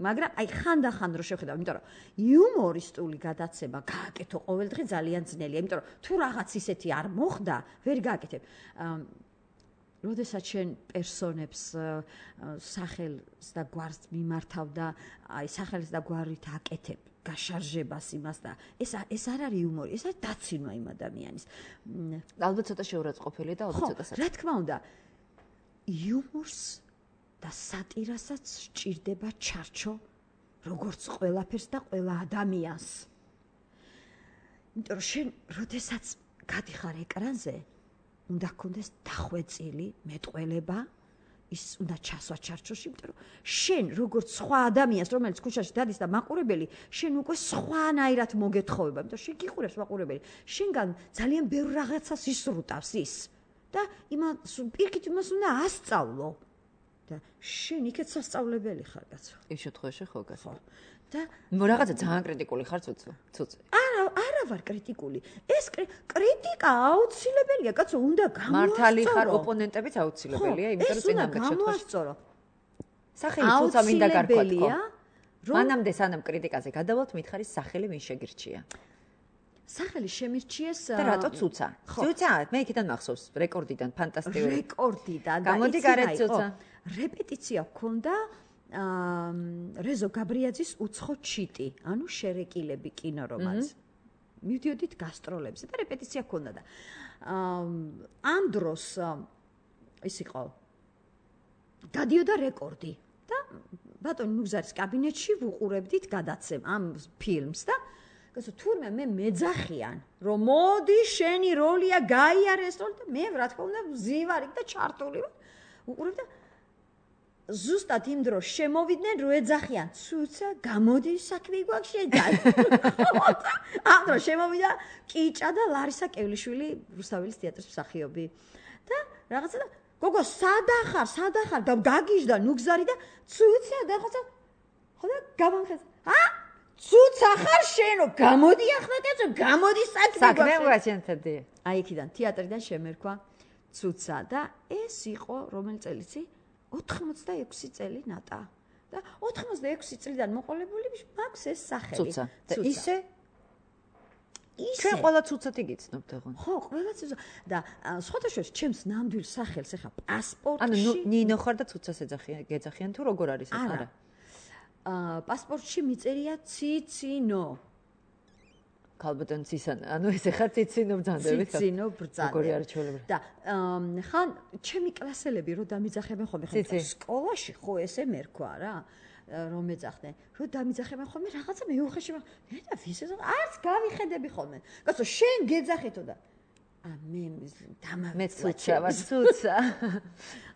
Speaker 3: მაგრამ აი ხანდახან რო შევხედავ, იმიტომ რომ იუმორისტული გადაცემა გააკეთო ყოველდღე ძალიან ძნელია, იმიტომ რომ თუ რაღაც ისეთი არ მოხდა, ვერ გააკეთებ. როდესაც შენ პერსონებს სახელს და გვარს მიმართავ და აი სახელს და გვარით აკეთებ გაშარჟებას იმას და ეს ეს არ არის იუმორი, ეს არის დაცინვა იმ ადამიანის.
Speaker 2: ალბათ ცოტა შეურაცხყოფილი და ალბათ ცოტა
Speaker 3: რა თქმა უნდა, იუმორს და სატირასაც სჭირდება ჩარჩო, როგორც ყველაფერს და ყველა ადამიანს. იმიტომ რომ შენ, როდესაც გადიხარ ეკრანზე, უნდა გქონდეს დახვეწილი მეტყველება, ის უნდა ჩასვა ჩარჩოში, იმიტომ რომ შენ როგორც სხვა ადამიანს, რომელიც ქუჩაში დადის და მაყურებელი, შენ უკვე სხვანაირად მოგეთხოვება, იმიტომ რომ შენ გიყურებს მაყურებელი, შენგან ძალიან ბევრ რაღაცას ისრუტავს ის და იმას პირიქით იმას უნდა ასწავლო. და შენ იქეთ სასწავლებელი ხარ, კაცო.
Speaker 2: ის შემთხვევაში ხო, კაცო.
Speaker 3: და
Speaker 2: რაღაცა ძალიან კრიტიკული ხარ, ცუცუ, ცუცუ.
Speaker 3: არა, არა ვარ კრიტიკული. ეს κρიტიკა აუცილებელია, კაცო, უნდა გამოასწორო.
Speaker 2: მართალი ხარ, ოპონენტებიც აუცილებელია, იმიტომ რომ წინამორბედ
Speaker 3: შემთხვევაში.
Speaker 2: სახელი ცუცა მინდა გარკვათ ხო? მანამდე სანამ კრიტიკაზე გადავალთ, მითხარის სახელი ვინ შეგირჩია?
Speaker 3: სახელი შემირჩიეს
Speaker 2: და რატო ცუცა? ცუცა, მე იქიდან მახსოვს, რეკორდიდან, ფანტასტიკური.
Speaker 3: რეკორდიდან და
Speaker 2: გამოდი გარეთ ცუცა.
Speaker 3: რეპეტიცია ჰქონდა რეზო გაბრიაძის უცხო ჩიტი, ანუ შერეკილები კინორომანს. მივდიოდით გასტროლებზე და რეპეტიცია ჰქონდა და ამ დროს ის იყო გადიოდა რეკორდი და ბატონ ნუგზარის კაბინეტში ვუყურებდით გადაცემ ამ ფილმს და გასო თურმე მე მეძახიან რომ მოდი შენი როლია გაიარე ეს როლი და მე რა თქმა უნდა ვზივარი და ჩართული ვუყურებ და ზუსტად იმ დროს შემოვიდნენ რო ეძახიან ცუცა გამოდი საქმე გვაქვს შედან ამ დროს შემოვიდა კიჭა და ლარისა კევლიშვილი რუსთაველის თეატრის მსახიობი და რაღაცა და გოგო სადახარ სადახარ და გაგიჟდა ნუგზარი და ცუცა და რაღაცა ხო და გამომხეს ა ცუცა ხარ შენო გამოდი ახლა კაცო გამოდი საქმე
Speaker 2: გვაჩენთდი
Speaker 3: აი იქიდან თეატრიდან შემერქვა ცუცა და ეს იყო რომელი წელიწი ოთხმოცდაექვსი წელი ნატა და ოთხმოცდაექვსი წლიდან მოყოლებული მაქვს ეს სახელი
Speaker 2: ცუცა და ისე ჩვენ ყველა ცუცათი გიცნობთ ხო
Speaker 3: ხო ყველა ცუცა და სხვათა შორის ჩემს ნამდვილ სახელს ახლა პასპორტში
Speaker 2: ანუ ნინო ხარ და ცუცას ეძახიან გეძახიან თუ როგორ არის ეს არა
Speaker 3: აა პასპორტში მიწერია ციცინო
Speaker 2: ქალბატონ ცისან ანუ ესე ხარ ციცინო ბრძანდებით
Speaker 3: ციცინო ბრძანდებით
Speaker 2: როგორი არჩეულები
Speaker 3: და ხან ჩემი კლასელები რო დამიძახებენ ხოლმე ხან სკოლაში ხო ესე მერქვა რა რომ მეძახდნენ რო დამიძახებენ ხოლმე რაღაცა მეუხეში და ვის ეს არც გავიხედები ხოლმე კაცო შენ გეძახეთო და ა მე
Speaker 2: დამამეცუცა ვარ ცუცა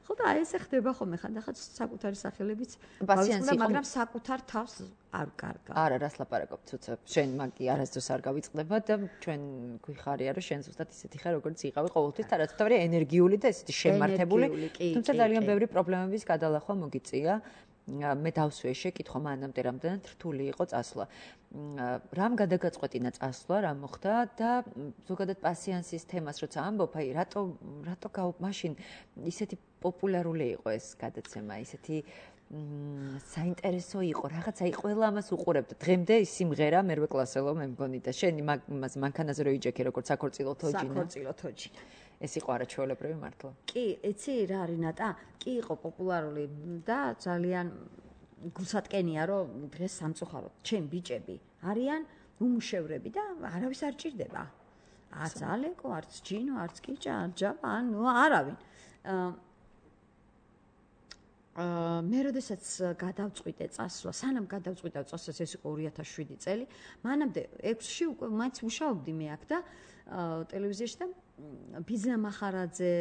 Speaker 3: ხო და ესე ხდება ხოლმე ხანდახან საკუთარი სახელებიც
Speaker 2: პასიანსი
Speaker 3: მაგრამ საკუთარ თავს არ კარგა
Speaker 2: არა რას ლაპარაკობ ცუცა შენ მაგი არასდროს არ გავიწყდება და ჩვენ გვიხარია რომ შენ ზუსტად ისეთი ხარ როგორც იყავი ყოველთვის და რაც თავი ენერგიული და ესეთი შემართებული თუმცა ძალიან ბევრი პრობლემების გადალახვა მოგიწია მე დავსვე შეკითხვა მანამდე რამდენად რთული იყო წასვლა. რამ გადაგაწყვეტინა წასვლა, რა მოხდა და ზოგადად პასიანსის თემას როცა ამბობ, აი რატო რატო გაუ მაშინ ისეთი პოპულარული იყო ეს გადაცემა, ისეთი საინტერესო იყო, რაღაცა აი ყველა ამას უყურებდა. დღემდე ის სიმღერა მერვე კლასელო მე მგონი და შენი მაგ მანქანაზე რო იჯექი როგორც საქორწილო თოჯინა.
Speaker 3: საქორწილო თოჯინა.
Speaker 2: ეს იყო არაჩვეულებრივი მართლა.
Speaker 3: კი, იცი რა არის ნატა? კი იყო პოპულარული და ძალიან გულსატკენია რომ დღეს სამწუხაროდ ჩემ ბიჭები არიან უმუშევრები და არავის არ ჭირდება. არც ალეკო, არც ჯინო, არც კიჭა, არც ჯაბა, ანუ არავინ. აა მე როდესაც გადავწყვიტე წასვლა, სანამ გადავწყვიტე წასვლა, ეს იყო ორი ათას შვიდი წელი, მანამდე ექვსში უკვე მაინც მუშაობდი მე აქ და ტელევიზიაში და ბიზნა მახარაძე,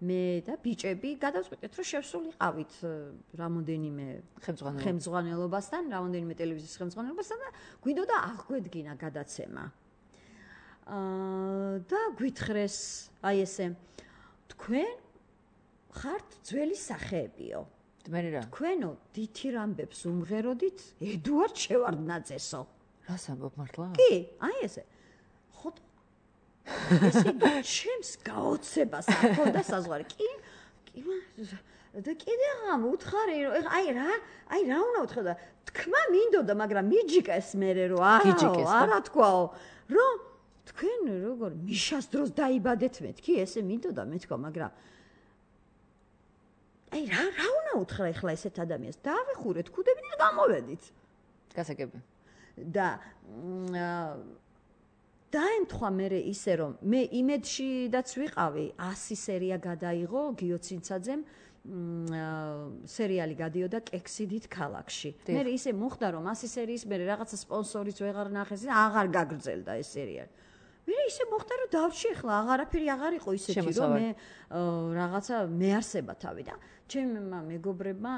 Speaker 3: მე და ბიჭები გადავწყვიტეთ, რომ შევსულიყავით რამოდენიმე ხელმძღვანელობასთან, რამოდენიმე ტელევიზიის ხელმძღვანელობასთან და გვინდოდა აღგვედგინა გადაცემა. აა და გვითხრეს, აი ესე, თქვენ ხართ ძველი სახეებიო. თქვენო დითი რამბებს უმღეროდით ედუარდ შევარდნაძესო.
Speaker 2: რას ამბობ მართლა?
Speaker 3: კი, აი ესე. ხო ესე ჩემს გაოცებას ახონდა საზღვარი. კი, კი და კიდე ამ უთხარი რომ აი რა, აი რა უნდა უთხრა და თქმა მინდოდა, მაგრამ მიჯიკეს მერე რომ არა, არა თქვაო, რომ თქვენ როგორ მიშას დროს დაიბადეთ მეთქი, ესე მინდოდა მეთქვა, მაგრამ აი რა რა უნდა უთხრა ახლა ესეთ ადამიანს? დავეხურეთ ქუდებით და გამოვედით.
Speaker 2: გასაგები.
Speaker 3: და დაემთხვა მე ისე რომ მე იმედში დაც ვიყავი, ასი სერია გადაიღო გიოცინცაძემ სერიალი გადიოდა კექსიდით ქალაქში. მე ისე მოხდა რომ ასი სერიის მე რაღაცა სპონსორიც ვეღარ ნახეს და აღარ გაგრძელდა ეს სერიალი. მე ისე მოხდა რომ დავრჩი ახლა აღარაფერი აღარ იყო ისეთი რომ მე რაღაცა მეარსება თავი და ჩემმა მეგობრებმა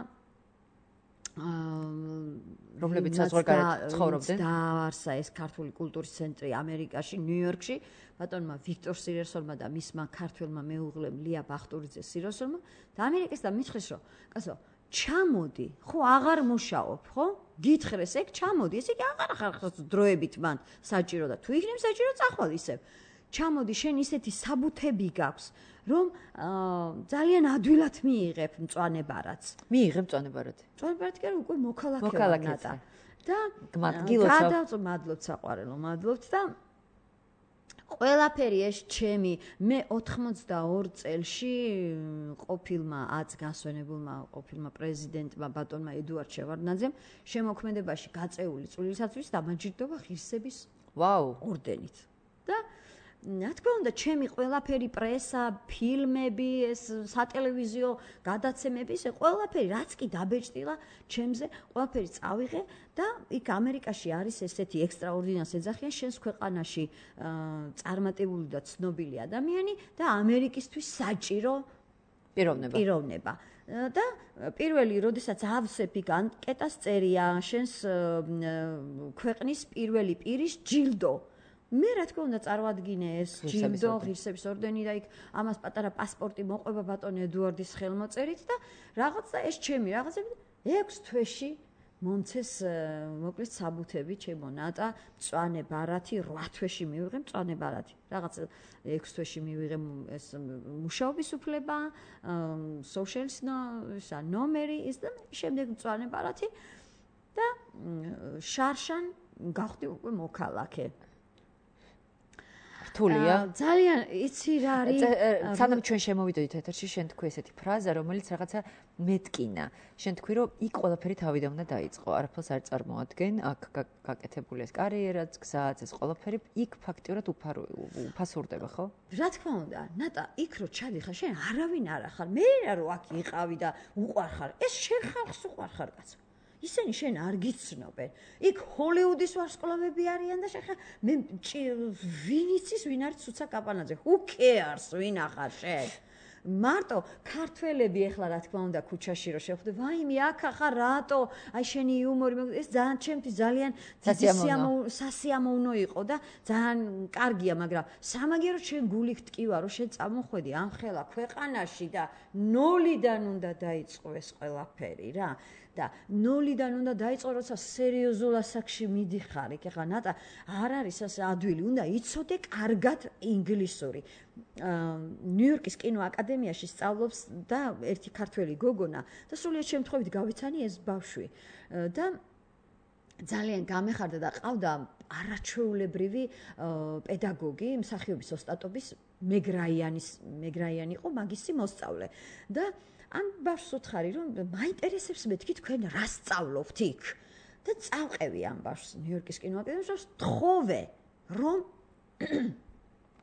Speaker 2: რომლებიც საზღვარგარეთ ცხოვრობდნენ
Speaker 3: დაარსა ეს ქართული კულტურის ცენტრი ამერიკაში, ნიუ-იორკში, ბატონმა ვიქტორ სიროსონმა და მისმა ქართველმა მეუღლემ ლია ბახტურიძე სიროსონმა და ამერიკას და მითხრეს რომ კაცო ჩამოდი, ხო აღარ მუშაობ, ხო? გითხრეს ეგ ჩამოდი, ესე იგი აღარ ხარ დროებით მან საჭირო და თუ იქნებ საჭირო წახვალ ისევ. ჩამოდი, შენ ისეთი საბუთები გაქვს, რომ ძალიან ადვილად მიიღებ მწვანებარაც.
Speaker 2: მიიღებ მწვანებარად.
Speaker 3: მწვანებარად კი უკვე მოქალაქეა ნატა. და
Speaker 2: მადლობთ,
Speaker 3: მადლობთ საყვარელო, მადლობთ და ყველაფერი ეს ჩემი მე ოთხმოცდაორ წელში ყოფილმა აც განსვენებულმა ყოფილმა პრეზიდენტმა ბატონმა ედუარდ შევარდნაძემ შემოქმედებაში გაწეული წვლილისათვის დამაჯილდოვა ღირსების
Speaker 2: ვაუ
Speaker 3: ორდენით. და რა თქმა უნდა, ჩემი ყველაფერი პრესა, ფილმები, ეს სატელევიზიო გადაცემები, ეს ყველაფერი რაც კი დაბეჭდილა ჩემზე, ყველაფერი წავიღე და იქ ამერიკაში არის ესეთი ექსტრაორდინარს ეძახიან შენს ქვეყანაში წარმატებული და ცნობილი ადამიანი და ამერიკისთვის საჭირო
Speaker 2: პიროვნება.
Speaker 3: პიროვნება. და პირველი, როდესაც ავსეფი ანკეტას წერია შენს ქვეყნის პირველი პირის ჯილდო. მე რა თქმა უნდა წარმოადგინე ეს ჯილდო, ღირსების ორდენი და იქ ამას პატარა პასპორტი მოყვება ბატონ ედუარდის ხელმოწერით და რაღაცა ეს ჩემი რაღაცები ექვს თვეში მომცეს მოკლედ საბუთები ჩემო ნატა, მწვანე ბარათი, რვა თვეში მივიღე მწვანე ბარათი. რაღაცა ექვს თვეში მივიღე ეს მუშაობის უფლება, სოციალის ნომერი, ის და შემდეგ მწვანე ბარათი და შარშან გავხდი უკვე მოქალაქე.
Speaker 2: რთულია.
Speaker 3: ძალიან იცი რა არის.
Speaker 2: სანამ ჩვენ შემოვიდოდით ეთერში, შენ თქვი ესეთი ფრაზა, რომელიც რაღაცა მეტკინა. შენ თქვი, რომ იქ ყველაფერი თავიდან უნდა დაიწყო, არაფერს არ წარმოადგენ, აქ გაკეთებული ეს კარიერაც, გზაც, ეს ყველაფერი იქ ფაქტიურად უფასურდება, ხო?
Speaker 3: რა თქმა უნდა, ნატა, იქ რო ჩადიხარ, შენ არავინ არ ახარ. მე რა რო აქ იყავი და უყვარ ხარ, ეს შენ ხალხს უყვარ ხარ, კაცო. ისინი შენ არ გიცნობენ. იქ ჰოლივუდის ვარსკვლავები არიან და შეხა მე ვინ იცის ვინ არის ცუცა კაპანაძე? Who cares ვინ ახარ შენ? მარტო ქართველები ეხლა რა თქმა უნდა ქუჩაში რო შეხვდე, ვაიმე აქ ახარ რატო? აი შენი იუმორი ეს ძალიან ჩემთვის ძალიან სასიამოვნო იყო და ძალიან კარგია, მაგრამ სამაგერო შენ გულით ტკივა რომ შენ წამოხვედი ამ ხელა ქვეყანაში და ნოლიდან უნდა დაიწყო ეს ყველაფერი რა. და ნოლიდან უნდა დაიწყო, როცა სერიოზულ ასაკში მიდიხარ. იქ ახლა ნატა არ არის ასე ადვილი, უნდა იცოდე კარგად ინგლისური. ნიუ-იორკის კინოაკადემიაში სწავლობს და ერთი ქართველი გოგონა და სრულიად შემთხვევით გავიცანი ეს ბავშვი. და ძალიან გამეხარდა და ყავდა არაჩვეულებრივი პედაგოგი, მსახიობის ოსტატობის მეგრაიანის მეგრაიანი იყო მაგისი მოსწავლე. და ამ ბავშვს უთხარი რომ მაინტერესებს მეთქი თქვენ რა სწავლობთ იქ და წავყევი ამ ბავშვს ნიუ-იორკის კინოაკადემიაში თხოვე რომ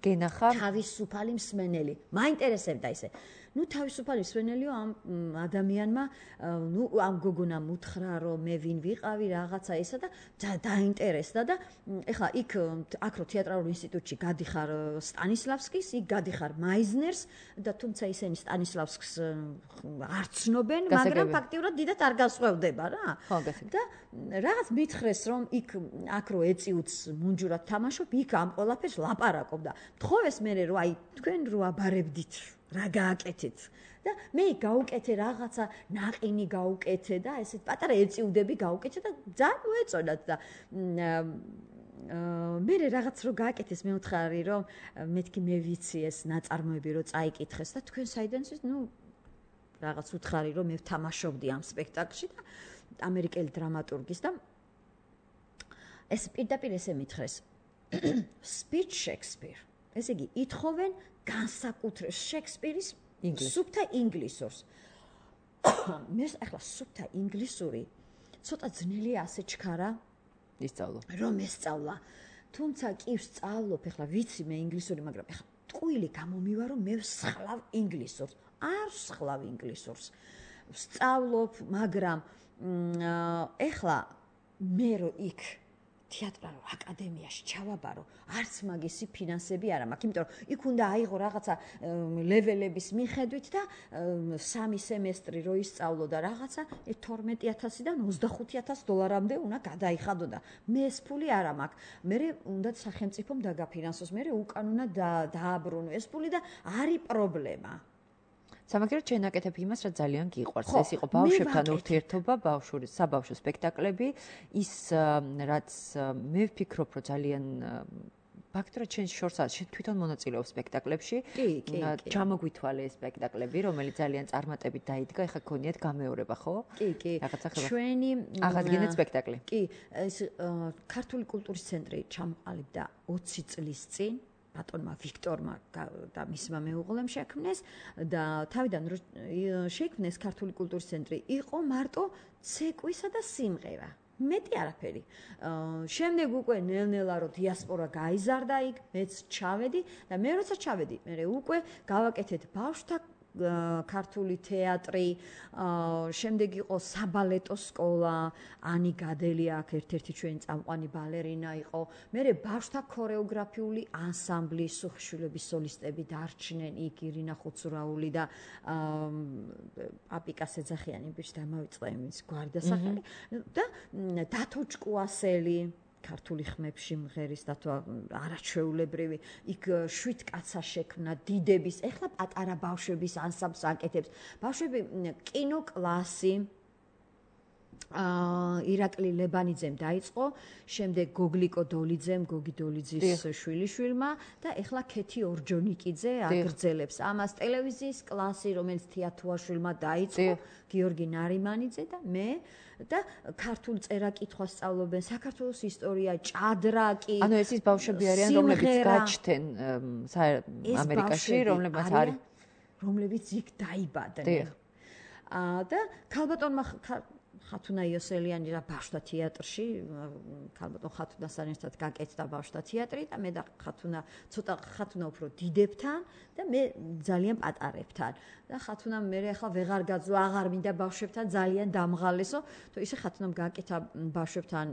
Speaker 2: გენახა
Speaker 3: თავისუფალი მსმენელი მაინტერესებდა ისე ну თავისუფალი მსმენელიო ამ ადამიანმა ну ამ გოგონამ უთხრა რომ მე ვინ ვიყავი რაღაცა ისა და დაინტერესდა და ეხლა იქ აქ რო თეატრალურ ინსტიტუტში გადიხარ სტანისლავსკის იქ გადიხარ მაიზნერს და თუმცა ისინი სტანისლავსკს არ ცნობენ მაგრამ ფაქტიურად დიდად არ განსხვავდება რა და რაღაც მითხრეს რომ იქ აქ რო ეწიუც მუნჯურად თამაშობ იქ ამ ყველაფერს ლაპარაკობ და თხოვეს მე რომ აი თქვენ რო აბარებდით რა გააკეთეთ და მე გაუკეთე რაღაცა ნაყინი გაუკეთე და ესეთ პატარა ეწიუდები გაუკეთე და ძალიან მოეწონათ და მე რაღაც რო გააკეთეს მე ვთხარი რომ მეთქი მე ვიცი ეს ნაწარმოები რო წაიკითხეს და თქვენ საიდან ის ნუ რაღაც ვთხარი რომ მე ვთამაშობდი ამ სპექტაკლში და ამერიკელი დრამატურგის და ეს პირდაპირ ესე მითხრეს speech Shakespeare ესე იგი ითხოვენ განსაკუთრებს შექსპირის სუფთა ინგლისურს. მე ახლა სუფთა ინგლისური ცოტა ძნელია ასე ჩქარა
Speaker 2: ისწავლო.
Speaker 3: რომ ესწავლა. თუმცა კი ვსწავლობ, ახლა ვიცი მე ინგლისური, მაგრამ ახლა ტყუილი გამომივა რომ მე ვსხლავ ინგლისურს. არ ვსხლავ ინგლისურს. ვსწავლობ, მაგრამ ახლა მე რო იქ თეატრალურ აკადემიაში ჩავაბარო, არც მაგისი ფინანსები არ მაქვს, იმიტომ რომ იქ უნდა აიღო რაღაცა ლეველების მიხედვით და სამი სემესტრი რო ისწავლო და რაღაცა თორმეტი ათასიდან ოცდახუთი ათასი დოლარამდე უნდა გადაიხადო და მე ეს ფული არ მაქვს. მე უნდა სახელმწიფომ დაგაფინანსოს, მე უკან უნდა დააბრუნო ეს ფული და არის პრობლემა.
Speaker 2: სამაგიეროდ შენაკეთებ იმას, რაც ძალიან გიყვარს. ეს იყო ბავშვებთან ურთიერთობა, ბავშვური საბავშვო სპექტაკლები, ის რაც მე ვფიქრობ, რომ ძალიან ფაქტობრივად შენ შორს არ შენ თვითონ მონაწილეობ სპექტაკლებში.
Speaker 3: კი, კი, კი.
Speaker 2: ჩამოგვითვალე ეს სპექტაკლები, რომელიც ძალიან წარმატებით დაიდგა, ეხლა გქონიათ გამეორება, ხო?
Speaker 3: კი, კი.
Speaker 2: რაღაცა ხება.
Speaker 3: ჩვენი
Speaker 2: აღადგენეთ სპექტაკლი.
Speaker 3: კი, ეს ქართული კულტურის ცენტრი ჩამოყალიბდა ოცი წლის წინ. ბატონმა ვიქტორმა და მისმა მეუღლემ შექმნეს და თავიდან რო შექმნეს ქართული კულტურის ცენტრი იყო მარტო ცეკვისა და სიმღერა. მეტი არაფერი. შემდეგ უკვე ნელ-ნელა რო დიასპორა გაიზარდა იქ, მეც ჩავედი და მე როცა ჩავედი, მე უკვე გავაკეთეთ ბავშვთა ქართული თეატრი, შემდეგ იყო საბალეტო სკოლა, ანი გადელი აქ ერთ-ერთი ჩვენი წამყვანი ბალერინა იყო. მერე ბავშვთა ქორეოგრაფიული ანსამბლი, სუხშვილების სოლისტები დარჩნენ იქ ირინა ხუცურაული და აპიკა სეძახიანი ბიჭი დამავიწყდა იმის გვარდასახელი და დათო ჭკუასელი ქართული ხმებში მღერის დათო არაჩვეულებრივი იქ შვიდ კაცა შექმნა დიდების ეხლა პატარა ბავშვების ანსამბლს აკეთებს ბავშვები კინოკლასი აა ირაკლი ლებანიძემ დაიწყო, შემდეგ გოგლიკო დოლიძემ, გოგი დოლიძის შვილიშვილმა და ეხლა ქეთი ორჯონიკიძე აგრძელებს ამას ტელევიზიის კლასი, რომელიც თეათუაშვილმა დაიწყო, გიორგი ნარიმანიძე და მე და ქართულ წერა-კითხვას სწავლობენ, საქართველოს ისტორია, ჭადრაკი.
Speaker 2: ანუ ეს ის ბავშვები არიან, რომლებიც გაჩნდნენ ამერიკაში, რომლებიც არის,
Speaker 3: რომლებიც იქ დაიბადნენ. აა და ქალბატონმა ხათუნა იოსელიანი რა ბავშვთა თეატრში, ქალბატონ ხათუნასთან ერთად გაკეთდა ბავშვთა თეატრი და მე და ხათუნა ცოტა ხათუნა უფრო დიდებთან და მე ძალიან პატარებთან. და ხათუნა მე ახლა ვეღარ გაძლო, აღარ მინდა ბავშვებთან ძალიან დამღალესო, თუ ისე ხათუნამ გააკეთა ბავშვებთან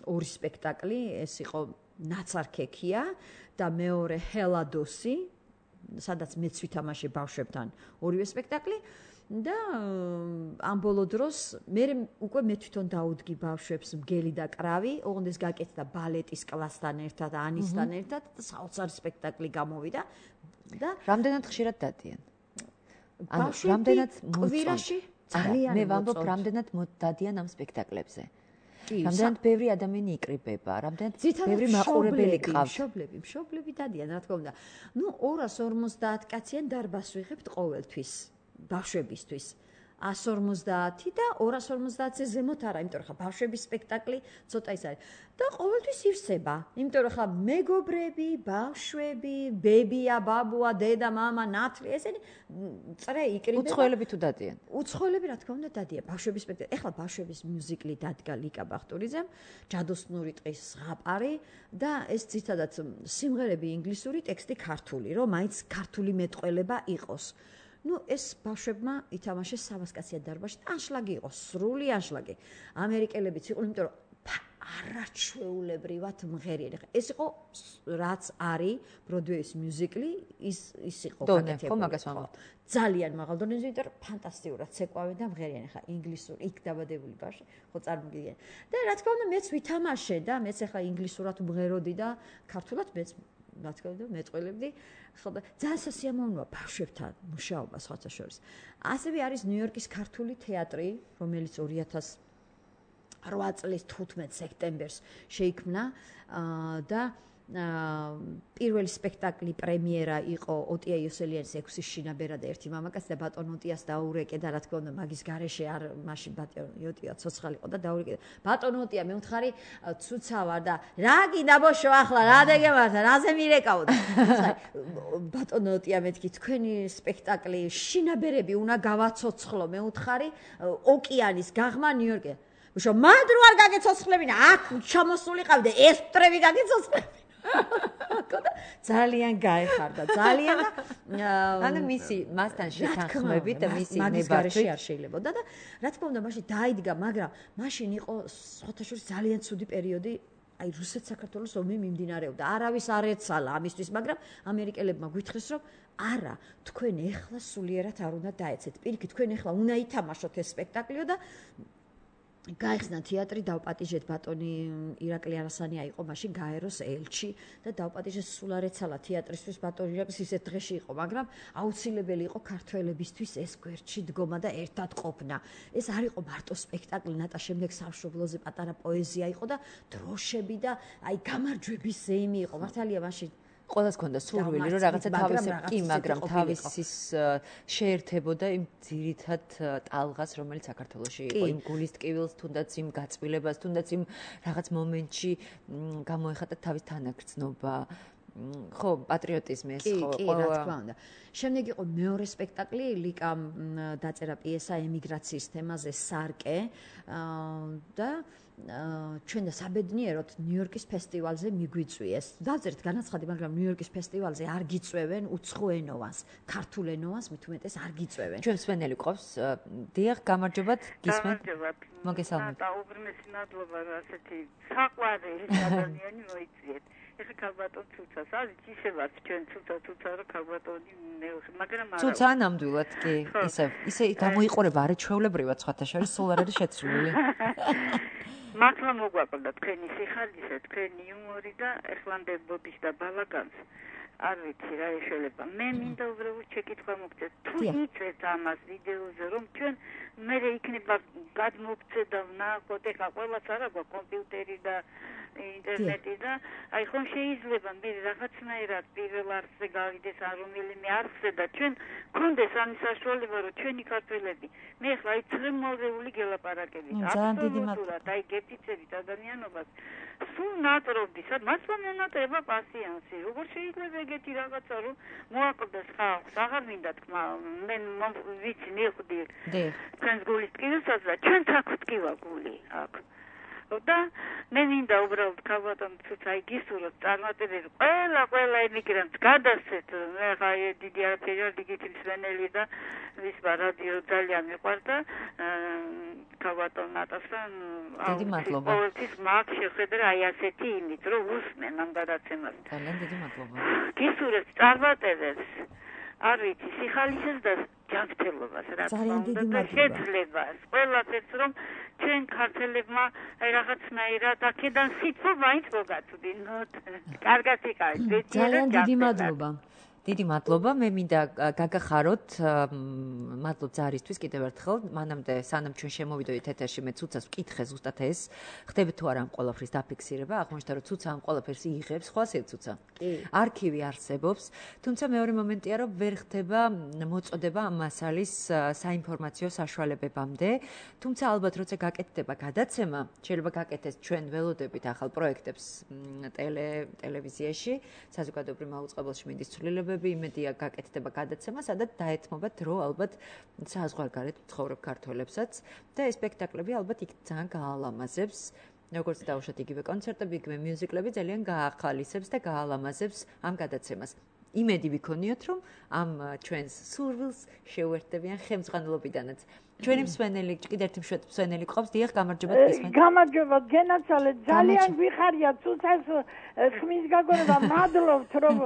Speaker 3: ორი სპექტაკლი, ეს იყო ნაცარქექია და მეორე ჰელადოსი, სადაც მეც ვითამაშე ბავშვებთან ორივე სპექტაკლი. და ამ ბოლო დროს მე უკვე მე თვითონ დაუდგი ბავშვებს მგელი და კრავი, ოღონდ ეს გაკეთდა ბალეტის კლასთან ერთად, ანისთან ერთად და საოცარი სპექტაკლი გამოვიდა და
Speaker 2: რამდენად ხშირად დადიან?
Speaker 3: ანუ რამდენად კვირაში ძალიან
Speaker 2: მე ვამბობ რამდენად დადიან ამ სპექტაკლებზე. რამდენად ბევრი ადამიანი იკრიბება, რამდენად ბევრი მაყურებელი ყავს.
Speaker 3: მშობლები, მშობლები დადიან, რა თქმა უნდა. ნუ ორას ორმოცდაათ კაციან დარბას ვიღებთ ყოველთვის. ბავშვებისთვის. one fifty და two fifty-ზე ზემოთ არა, იმიტომ რომ ხა ბავშვების სპექტაკლი ცოტა ის არის. და ყოველთვის ივსება, იმიტომ რომ ხა მეგობრები, ბავშვები, ბებია, ბაბუა, დედა, მამა, ნათლი, ესენი წრე იკრიბება.
Speaker 2: უცხოელები თუ დადიან?
Speaker 3: უცხოელები რა თქმა უნდა დადიან. ბავშვების სპექტაკლი. ეხლა ბავშვების მიუზიკლი დადგა ლიკა ბახტურიძემ, ჯადოსნური ტყის ზღაპარი და ეს ძირითადად სიმღერები ინგლისური, ტექსტი ქართული, რომ მაინც ქართული მეტყველება იყოს. ნუ ეს ბავშვებმა ითამაშეს სამასკაციან დარბაზში, ანშლაგი იყო, სრული ანშლაგი. ამერიკელებიც იყვნენ, იმიტომ რომ არაჩვეულებრივად მღერიანი. ეს იყო რაც არის ბროდვეის მიუზიკლი, ის ის იყო გაკეთებული. ძალიან მაღალ დონეზე, იმიტომ რომ ფანტასტიკურად ცეკვავენ და მღერიანი. ხა ინგლისური იქ დაბადებული ბავშვი, ხო წარმოგიდგენ. და რა თქმა უნდა, მეც ვითამაშე და მეც ახლა ინგლისურად მღეროდი და ქართულად მეც რა თქმა უნდა მეტყველებდი. ხო და ძალიან სასიამოვნოა ბავშვებთან მუშაობა სხვათა შორის. ასევე არის ნიუ-იორკის ქართული თეატრი, რომელიც two thousand eight წლის თხუთმეტ სექტემბერს შეიქმნა და პირველი სპექტაკლი პრემიერა იყო ოტია იოსელიანის ექვსი შინაბერა და ერთი მამაკაცი და ბატონ ოტიას დაურეკე და რა თქმა უნდა მაგის გარეშე არ მაშინ ბატონ ოტია ცოცხალი იყო და დაურეკე ბატონ ოტია მე ვთხარი ცუცა ვარ და რა გინდა ბოშო ახლა რა დეგემართა რაზე მირეკავდა ბატონ ოტია მეთქი თქვენი სპექტაკლი შინაბერები უნდა გავაცოცხლო მე ვთხარი ოკეანის გაღმა ნიუ-იორკი ბოშო მანდ რო არ გაგეცოცხლებინა აქ ჩამოსულიყავი და ეს მტრები გაგეცოცხლებინა ძალიან გაეხარდა ძალიან და
Speaker 2: ანუ მისი მასთან შეთანხმებით და მისი ნებართვით
Speaker 3: არ შეიძლებოდა და რა თქმა უნდა მაშინ დაიდგა მაგრამ მაშინ იყო სხვათა შორის ძალიან ცუდი პერიოდი აი რუსეთ-საქართველოს ომი მიმდინარეობდა არავის არ ეცალა ამისთვის მაგრამ ამერიკელებმა გვითხრეს რომ არა თქვენ ეხლა სულიერად არ უნდა დაეცეთ პირიქით თქვენ ეხლა უნდა ითამაშოთ ეს სპექტაკლიო და გაიხსნა თეატრი დავპატიჟეთ ბატონი ირაკლი არასანია იყო მაშინ გაეროს ელჩი და დავპატიჟეს სულ არ ეცალა თეატრისთვის ბატონი ირაკლის ისეთ დღეში იყო მაგრამ აუცილებელი იყო ქართველებისთვის ეს გვერდში დგომა და ერთად ყოფნა ეს არ იყო მარტო სპექტაკლი ნატა შემდეგ სამშობლოზე პატარა პოეზია იყო და დროშები და აი გამარჯვების ზეიმი იყო მართალია მაშინ
Speaker 2: ყველას ქონდა სურვილი რომ რაღაცა თავისი კი მაგრამ თავისის შეერთებოდა იმ ძირითად ტალღას რომელიც საქართველოში იყო იმ გულის ტკივილს თუნდაც იმ გაწვილებას თუნდაც იმ რაღაც მომენტში გამოეხატა თავის თანაგრძნობა ხო პატრიოტიზმი ეს ხო
Speaker 3: კი რა თქმა უნდა შემდეგ იყო მეორე სპექტაკლი ლიკამ დაწერა პიესა ემიგრაციის თემაზე სარკე და ჩვენ და საბედნიეროდ ნიუ-იორკის ფესტივალზე მიგვიწვიეს. დავწერთ განაცხადი, მაგრამ ნიუ-იორკის ფესტივალზე არ გიწვევენ უცხო ენოვანს, ქართულ ენოვანს მით უმეტეს არ გიწვევენ.
Speaker 2: ჩვენ სვენელი ყავს. დიახ, გამარჯობათ, გისმენთ. მოგესალმებით.
Speaker 4: და უბრმესი მადლობა, ასეთი საყვარელი ადამიანი მოიწვიეთ. ეხლა ქალბატონ ცუცას არის ისევაც ჩვენ ცუცა ცუცა რა ქალბატონი მაგრამ არა
Speaker 2: ცუცა ნამდვილად კი ისე ისე გამოიყურება არაჩვეულებრივად სხვათა შორის სულ არ არის შეცვლილი
Speaker 4: მართლა მოგვაკლდა თქვენი სიხალისე თქვენი იუმორი და ეხლამდე ბოდიშ და ბალაგანს არ ვიცი რა ეშველება მე მინდა უბრალოდ შეკითხვა მოგწეს თუ იწვევთ ამას ვიდეოზე რომ ჩვენ მე იქნება გადმოგწედა ვნახოთ ეხლა ყველას არა გვაქვს კომპიუტერი და ინტერნეტი და აი ხომ შეიძლება მე რაღაცნაირად პირველ არხზე გავიდეს არ რომელიმე არხზე და ჩვენ გქონდეს ამის საშუალება რომ ჩვენი ქართველები მე ახლა აი ცრემლზეული გელაპარაკებით აბსოლუტურად აი გეფიცებით ადამიანობას სულ ნატრობდის მართლა მენატრება პასიანსი როგორ შეიძლება ეგეთი რაღაცა რომ მოაკლდეს ხალხს აღარ მინდა თქმა მე ვიცი მივხვდი თქვენს გულის ტკივილსაც და ჩვენ აქ ტკივა გული აქ და მე მინდა უბრალოდ ქალბატონ ცუცა აი გისურვოთ წარმატებები ყველა ყველა ემიგრანტს გადასცეთ მე ხა დიდი არაფერი არ დიგითი მსვენელი და ვის რადიო ძალიან მიყვარდა ქალბატონ ნატასთან
Speaker 2: დიდი მადლობა
Speaker 4: ყოველთვის მაგ შეხედა აი ასეთი იმით რომ უსმენ ამ გადაცემას
Speaker 2: ძალიან დიდი მადლობა
Speaker 4: გისურვოთ წარმატებებს არ ვიცი სიხალისეს და ჯანმრთელობას რა თქმა უნდა და შეძლებას ყველაფერს რომ ჩვენ ქართველებმა აი რაღაცნაირად აქედან სიტყვა მაინც მოგაწვდინოთ კარგად იყავით
Speaker 3: ძალიან დიდი მადლობა
Speaker 2: დიდი მადლობა. მე მინდა გაგახაროთ მადლობ ზარისთვის კიდევ ერთხელ. მანამდე სანამ ჩვენ შემოვიდოდით ეთერში მე ცუცას ვკითხე ზუსტად ეს. ხდები თუ არა ამ ყველაფრის დაფიქსირება? აღმოჩნდა რომ ცუცა ამ ყველაფერს იღებს, ხო ასე ცუცა. არქივი არსებობს, თუმცა მეორე მომენტია რომ ვერ ხდება მოწოდება ამ მასალის საინფორმაციო საშუალებებამდე. თუმცა ალბათ როცა გაკეთდება გადაცემა, შეიძლება გაკეთდეს ჩვენ ველოდებით ახალ პროექტებს ტელე ტელევიზიაში, საზოგადოებრივ მაუწყებელში მინდის ცვლილებები, იმედია გაკეთდება გადაცემა, სადაც დაეთმობათ დრო ალბათ საზღვარგარეთ მცხოვრებ ქართველებსაც და ეს სპექტაკლები ალბათ იქ ძალიან გაალამაზებს. როგორც დავუშვათ იგივე კონცერტები, იგივე მიუზიკლები ძალიან გაახალისებს და გაალამაზებს ამ გადაცემას. იმედი ვიქონიოთ, რომ ამ ჩვენს სურვილს შეუერთდებიან ხელმძღვანელობიდანაც. ჩვენი მსვენელი, კიდევ ერთი მსვენელი ყავს, დიახ, გამარჯობა გისმენთ.
Speaker 5: გამარჯობა, გენაცვალე, ძალიან ვიხარია ცუცას ხმის გაგონება, მადლობთ, რომ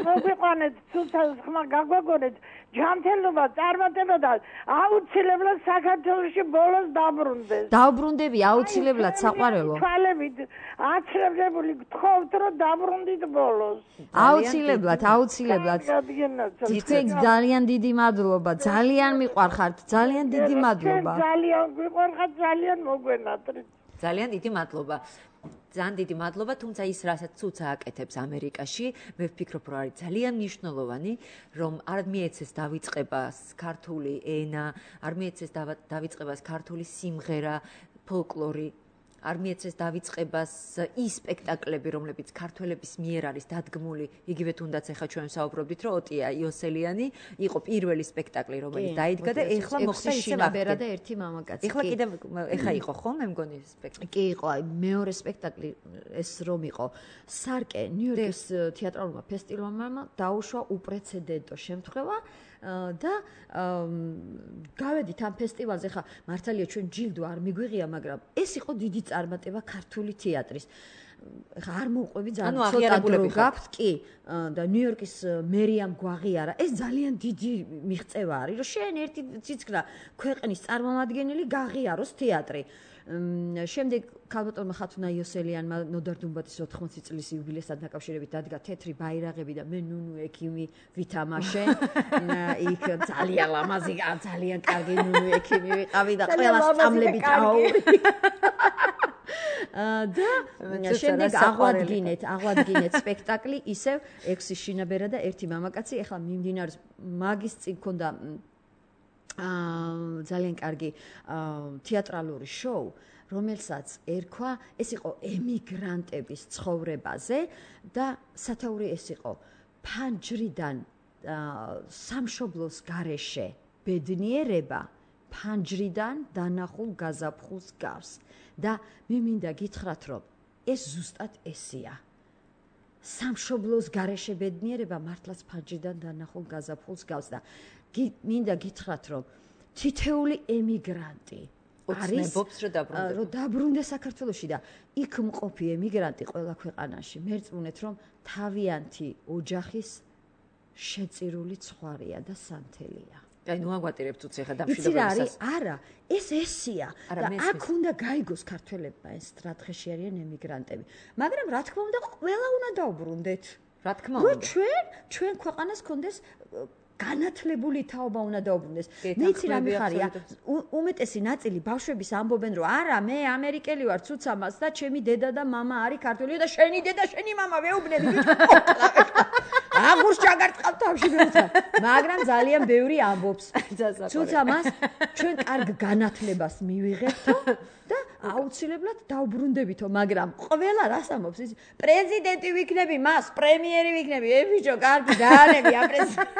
Speaker 5: მოგვიყვანეთ ცუცას ხმა გაგვაგონეთ. ჯანმრთელობა, წარმატება და აუცილებლად საქართველოში ბოლოს დაბრუნდეს.
Speaker 3: დაუბრუნდები აუცილებლად საყვარელო.
Speaker 5: თვალებით აცრებებული გთხოვთ, რომ დაბრუნდით ბოლოს.
Speaker 3: აუცილებლად, აუცილებლად. თქვენ ძალიან დიდი მადლობა, ძალიან მიყვარხართ, ძალიან დიდი მადლობა.
Speaker 5: ძალიან მიყვარხართ, ძალიან მოგვენატრით.
Speaker 2: ძალიან დიდი მადლობა. ძალიან დიდი მადლობა, თუმცა ის რასაც ცუცა აკეთებს ამერიკაში, მე ვფიქრობ, რომ არის ძალიან მნიშვნელოვანი, რომ არ მიეცეს დავიწყება ქართული ენა, არ მიეცეს დავიწყება ქართული სიმღერა, ფოლკლორი, არ მიეცეს დავიწყებას ის სპექტაკლები, რომლებიც ქართველების მიერ არის დადგმული, იგივე თუნდაც ახლა ჩვენ საუბრობდით, რომ ოტია იოსელიანი იყო პირველი სპექტაკლი, რომელიც დაიდგა და ეხლა მოხდა ისე
Speaker 3: მაბერა და ერთი მამაკაცი.
Speaker 2: ეხლა კიდევ ეხლა იყო ხო, მე მგონი სპექტაკლი.
Speaker 3: კი იყო, აი მეორე სპექტაკლი ეს რომ იყო. სარკე ნიუ-იორკის თეატრალურმა ფესტივალმა დაუშვა უპრეცედენტო შემთხვევა. და გავედით ამ ფესტივალზე, ხა მართალია ჩვენ ჯილდო არ მიგვიღია, მაგრამ ეს იყო დიდი წარმატება ქართული თეატრის. ხა არ მოვყვები ძალიან ცოტა დრო გაქვთ, კი, და ნიუ-იორკის მერიამ გვაღიარა. ეს ძალიან დიდი მიღწევა არის, რომ შენ ერთი ციცკრა ქვეყნის წარმომადგენელი გაღიაროს თეატრი. შემდეგ ქალბატონმა ხათუნა იოსელიანმა ნოდარ დუმბათის ოთხმოცი წლის იუბილესთან დაკავშირებით დადგა თეთრი ბაირაღები და მე ნუნუ ექიმი ვითამაშე. იქ ძალიან ლამაზი, ძალიან კარგი ნუნუ ექიმი ვიყავი და ყველა სწავლები წაუვრი. და შემდეგ აღვადგინეთ, აღვადგინეთ სპექტაკლი ისევ ექვსი შინაბერა და ერთი მამაკაცი. ეხლა მიმდინარეობს მაგის წინ ქონდა აა ძალიან კარგი თეატრალური შოუ, რომელსაც ერქვა, ეს იყო ემიგრანტების ცხოვრებაზე და სათაური ეს იყო ფანჯრიდან სამშობლოს გარეშე ბედნიერება ფანჯრიდან დანახულ გაზაფხულს გავს და მე მინდა გითხრათ, რომ ეს ზუსტად ესია. სამშობლოს გარეშე ბედნიერება მართლაც ფანჯრიდან დანახულ გაზაფხულს გავს და მინდა გითხრათ, რომ თითეული ემიგრანტი
Speaker 2: ოცნებობს, რომ დაბრუნდეს.
Speaker 3: რომ დაბრუნდეს საქართველოში და იქ მყოფი ემიგრანტი ყველა ქვეყანაში მერწმუნეთ, რომ თავიანთი ოჯახის შეწირული ცხვარია და სანთელია.
Speaker 2: აი, ნუ აგვატირებთ უცე ხა დამშვიდობებისას.
Speaker 3: არა, ეს ესია და აქ უნდა გაიგოს ქართველებმა ეს რა დღეში არიან ემიგრანტები. მაგრამ რა თქმა უნდა, ყველა უნდა დაუბრუნდეთ.
Speaker 2: რა თქმა
Speaker 3: უნდა.
Speaker 2: რომ
Speaker 3: ჩვენ, ჩვენ ქვეყანას კონდეს განათლებული თაობა უნდა დაუბრუნდეს. მე იცი რა მიხარია, უმეტესი ნაწილი ბავშვების ამბობენ, რომ არა, მე ამერიკელი ვარ, ცუცამას და ჩემი დედა და მამა არის ქართველი და შენი დედა, შენი მამა ვეუბნები. აღურს ჩაგარტყავ თავში მეუთხარ. მაგრამ ძალიან ბევრი ამბობს. ცუცამას ჩვენ კარგ განათლებას მივიღებთო და აუცილებლად დაუბრუნდებითო, მაგრამ ყველა რას ამბობს ის პრეზიდენტი ვიქნები, მას პრემიერი ვიქნები, ე ბიჭო, კარგი დაანები აპრეზიდენტი.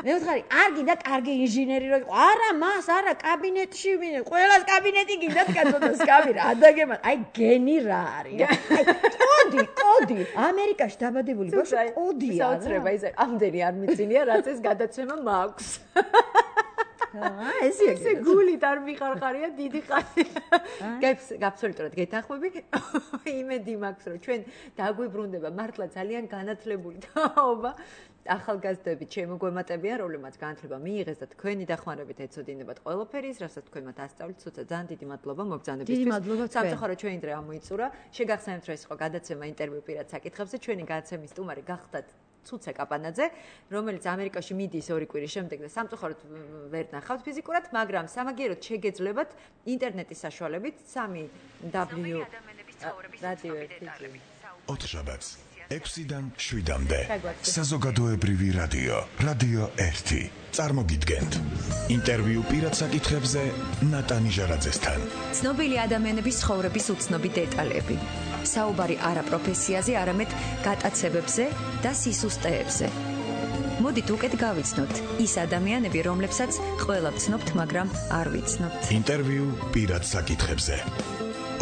Speaker 3: მე ვთქვი, კარგი და კარგი ინჟინერი რო იყო. არა, მას, არა, კაბინეტში ვინე, ყველას კაბინეტი გინდათ კაცოდას კაბი რა დაგემა. აი გენი რა არის? აი კოდი, კოდი. ამერიკაში დაბადებული ბავშვი კოდია.
Speaker 2: საოცრება ის ამდენი არ მიცინია, რაც ეს გადაცემა მაქვს.
Speaker 3: აა ეს
Speaker 2: ესე გულით არ მიხარხარია დიდი ხანი. გაბსოლუტურად გეთანხმები. იმედი მაქვს, რომ ჩვენ დაგვიბრუნდება მართლა ძალიან განათლებული თაობა. ახალგაზრდები შემოგვემატებიან, რომლებმაც განათლება მიიღეს და თქვენი დახმარებით ეცოდინებათ ყველაფერი, რასაც თქვენ მათ ასწავლით, თუმცა ძალიან დიდი მადლობა მოგზაურობისთვის.
Speaker 3: დიდი მადლობა თქვენ.
Speaker 2: სამწუხაროდ ჩვენი დღე ამოიწურა. შეგახსენებთ, რომ ეს იყო გადაცემა ინტერვიუ პირად საკითხებზე. ჩვენი გადაცემის სტუმარი გახდათ ცუცე კაპანაძე, რომელიც ამერიკაში მიდის ორი კვირის შემდეგ და სამწუხაროდ ვერ ნახავთ ფიზიკურად, მაგრამ სამაგიეროდ შეგეძლებათ ინტერნეტის საშუალებით სამი დაბლიუ რადიო ერთი
Speaker 1: ოთხშაბათს ექვსიდან შვიდამდე საზოგადოებრივი რადიო რადიო ერთი წარმოგიდგენთ ინტერვიუ პირად საკითხებზე ნატანი ჟარაძესთან.
Speaker 6: ცნობილი ადამიანების ცხოვრების უცნობი დეტალები. საუბარი არა პროფესიაზე, არამედ გატაცებებზე და სისუსტეებზე. მოდით უკეთ გავიცნოთ ის ადამიანები, რომლებსაც ყველა ვცნობთ, მაგრამ არ ვიცნობთ.
Speaker 1: ინტერვიუ პირად საკითხებზე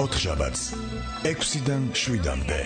Speaker 1: ოთხშაბათს ექვსიდან შვიდამდე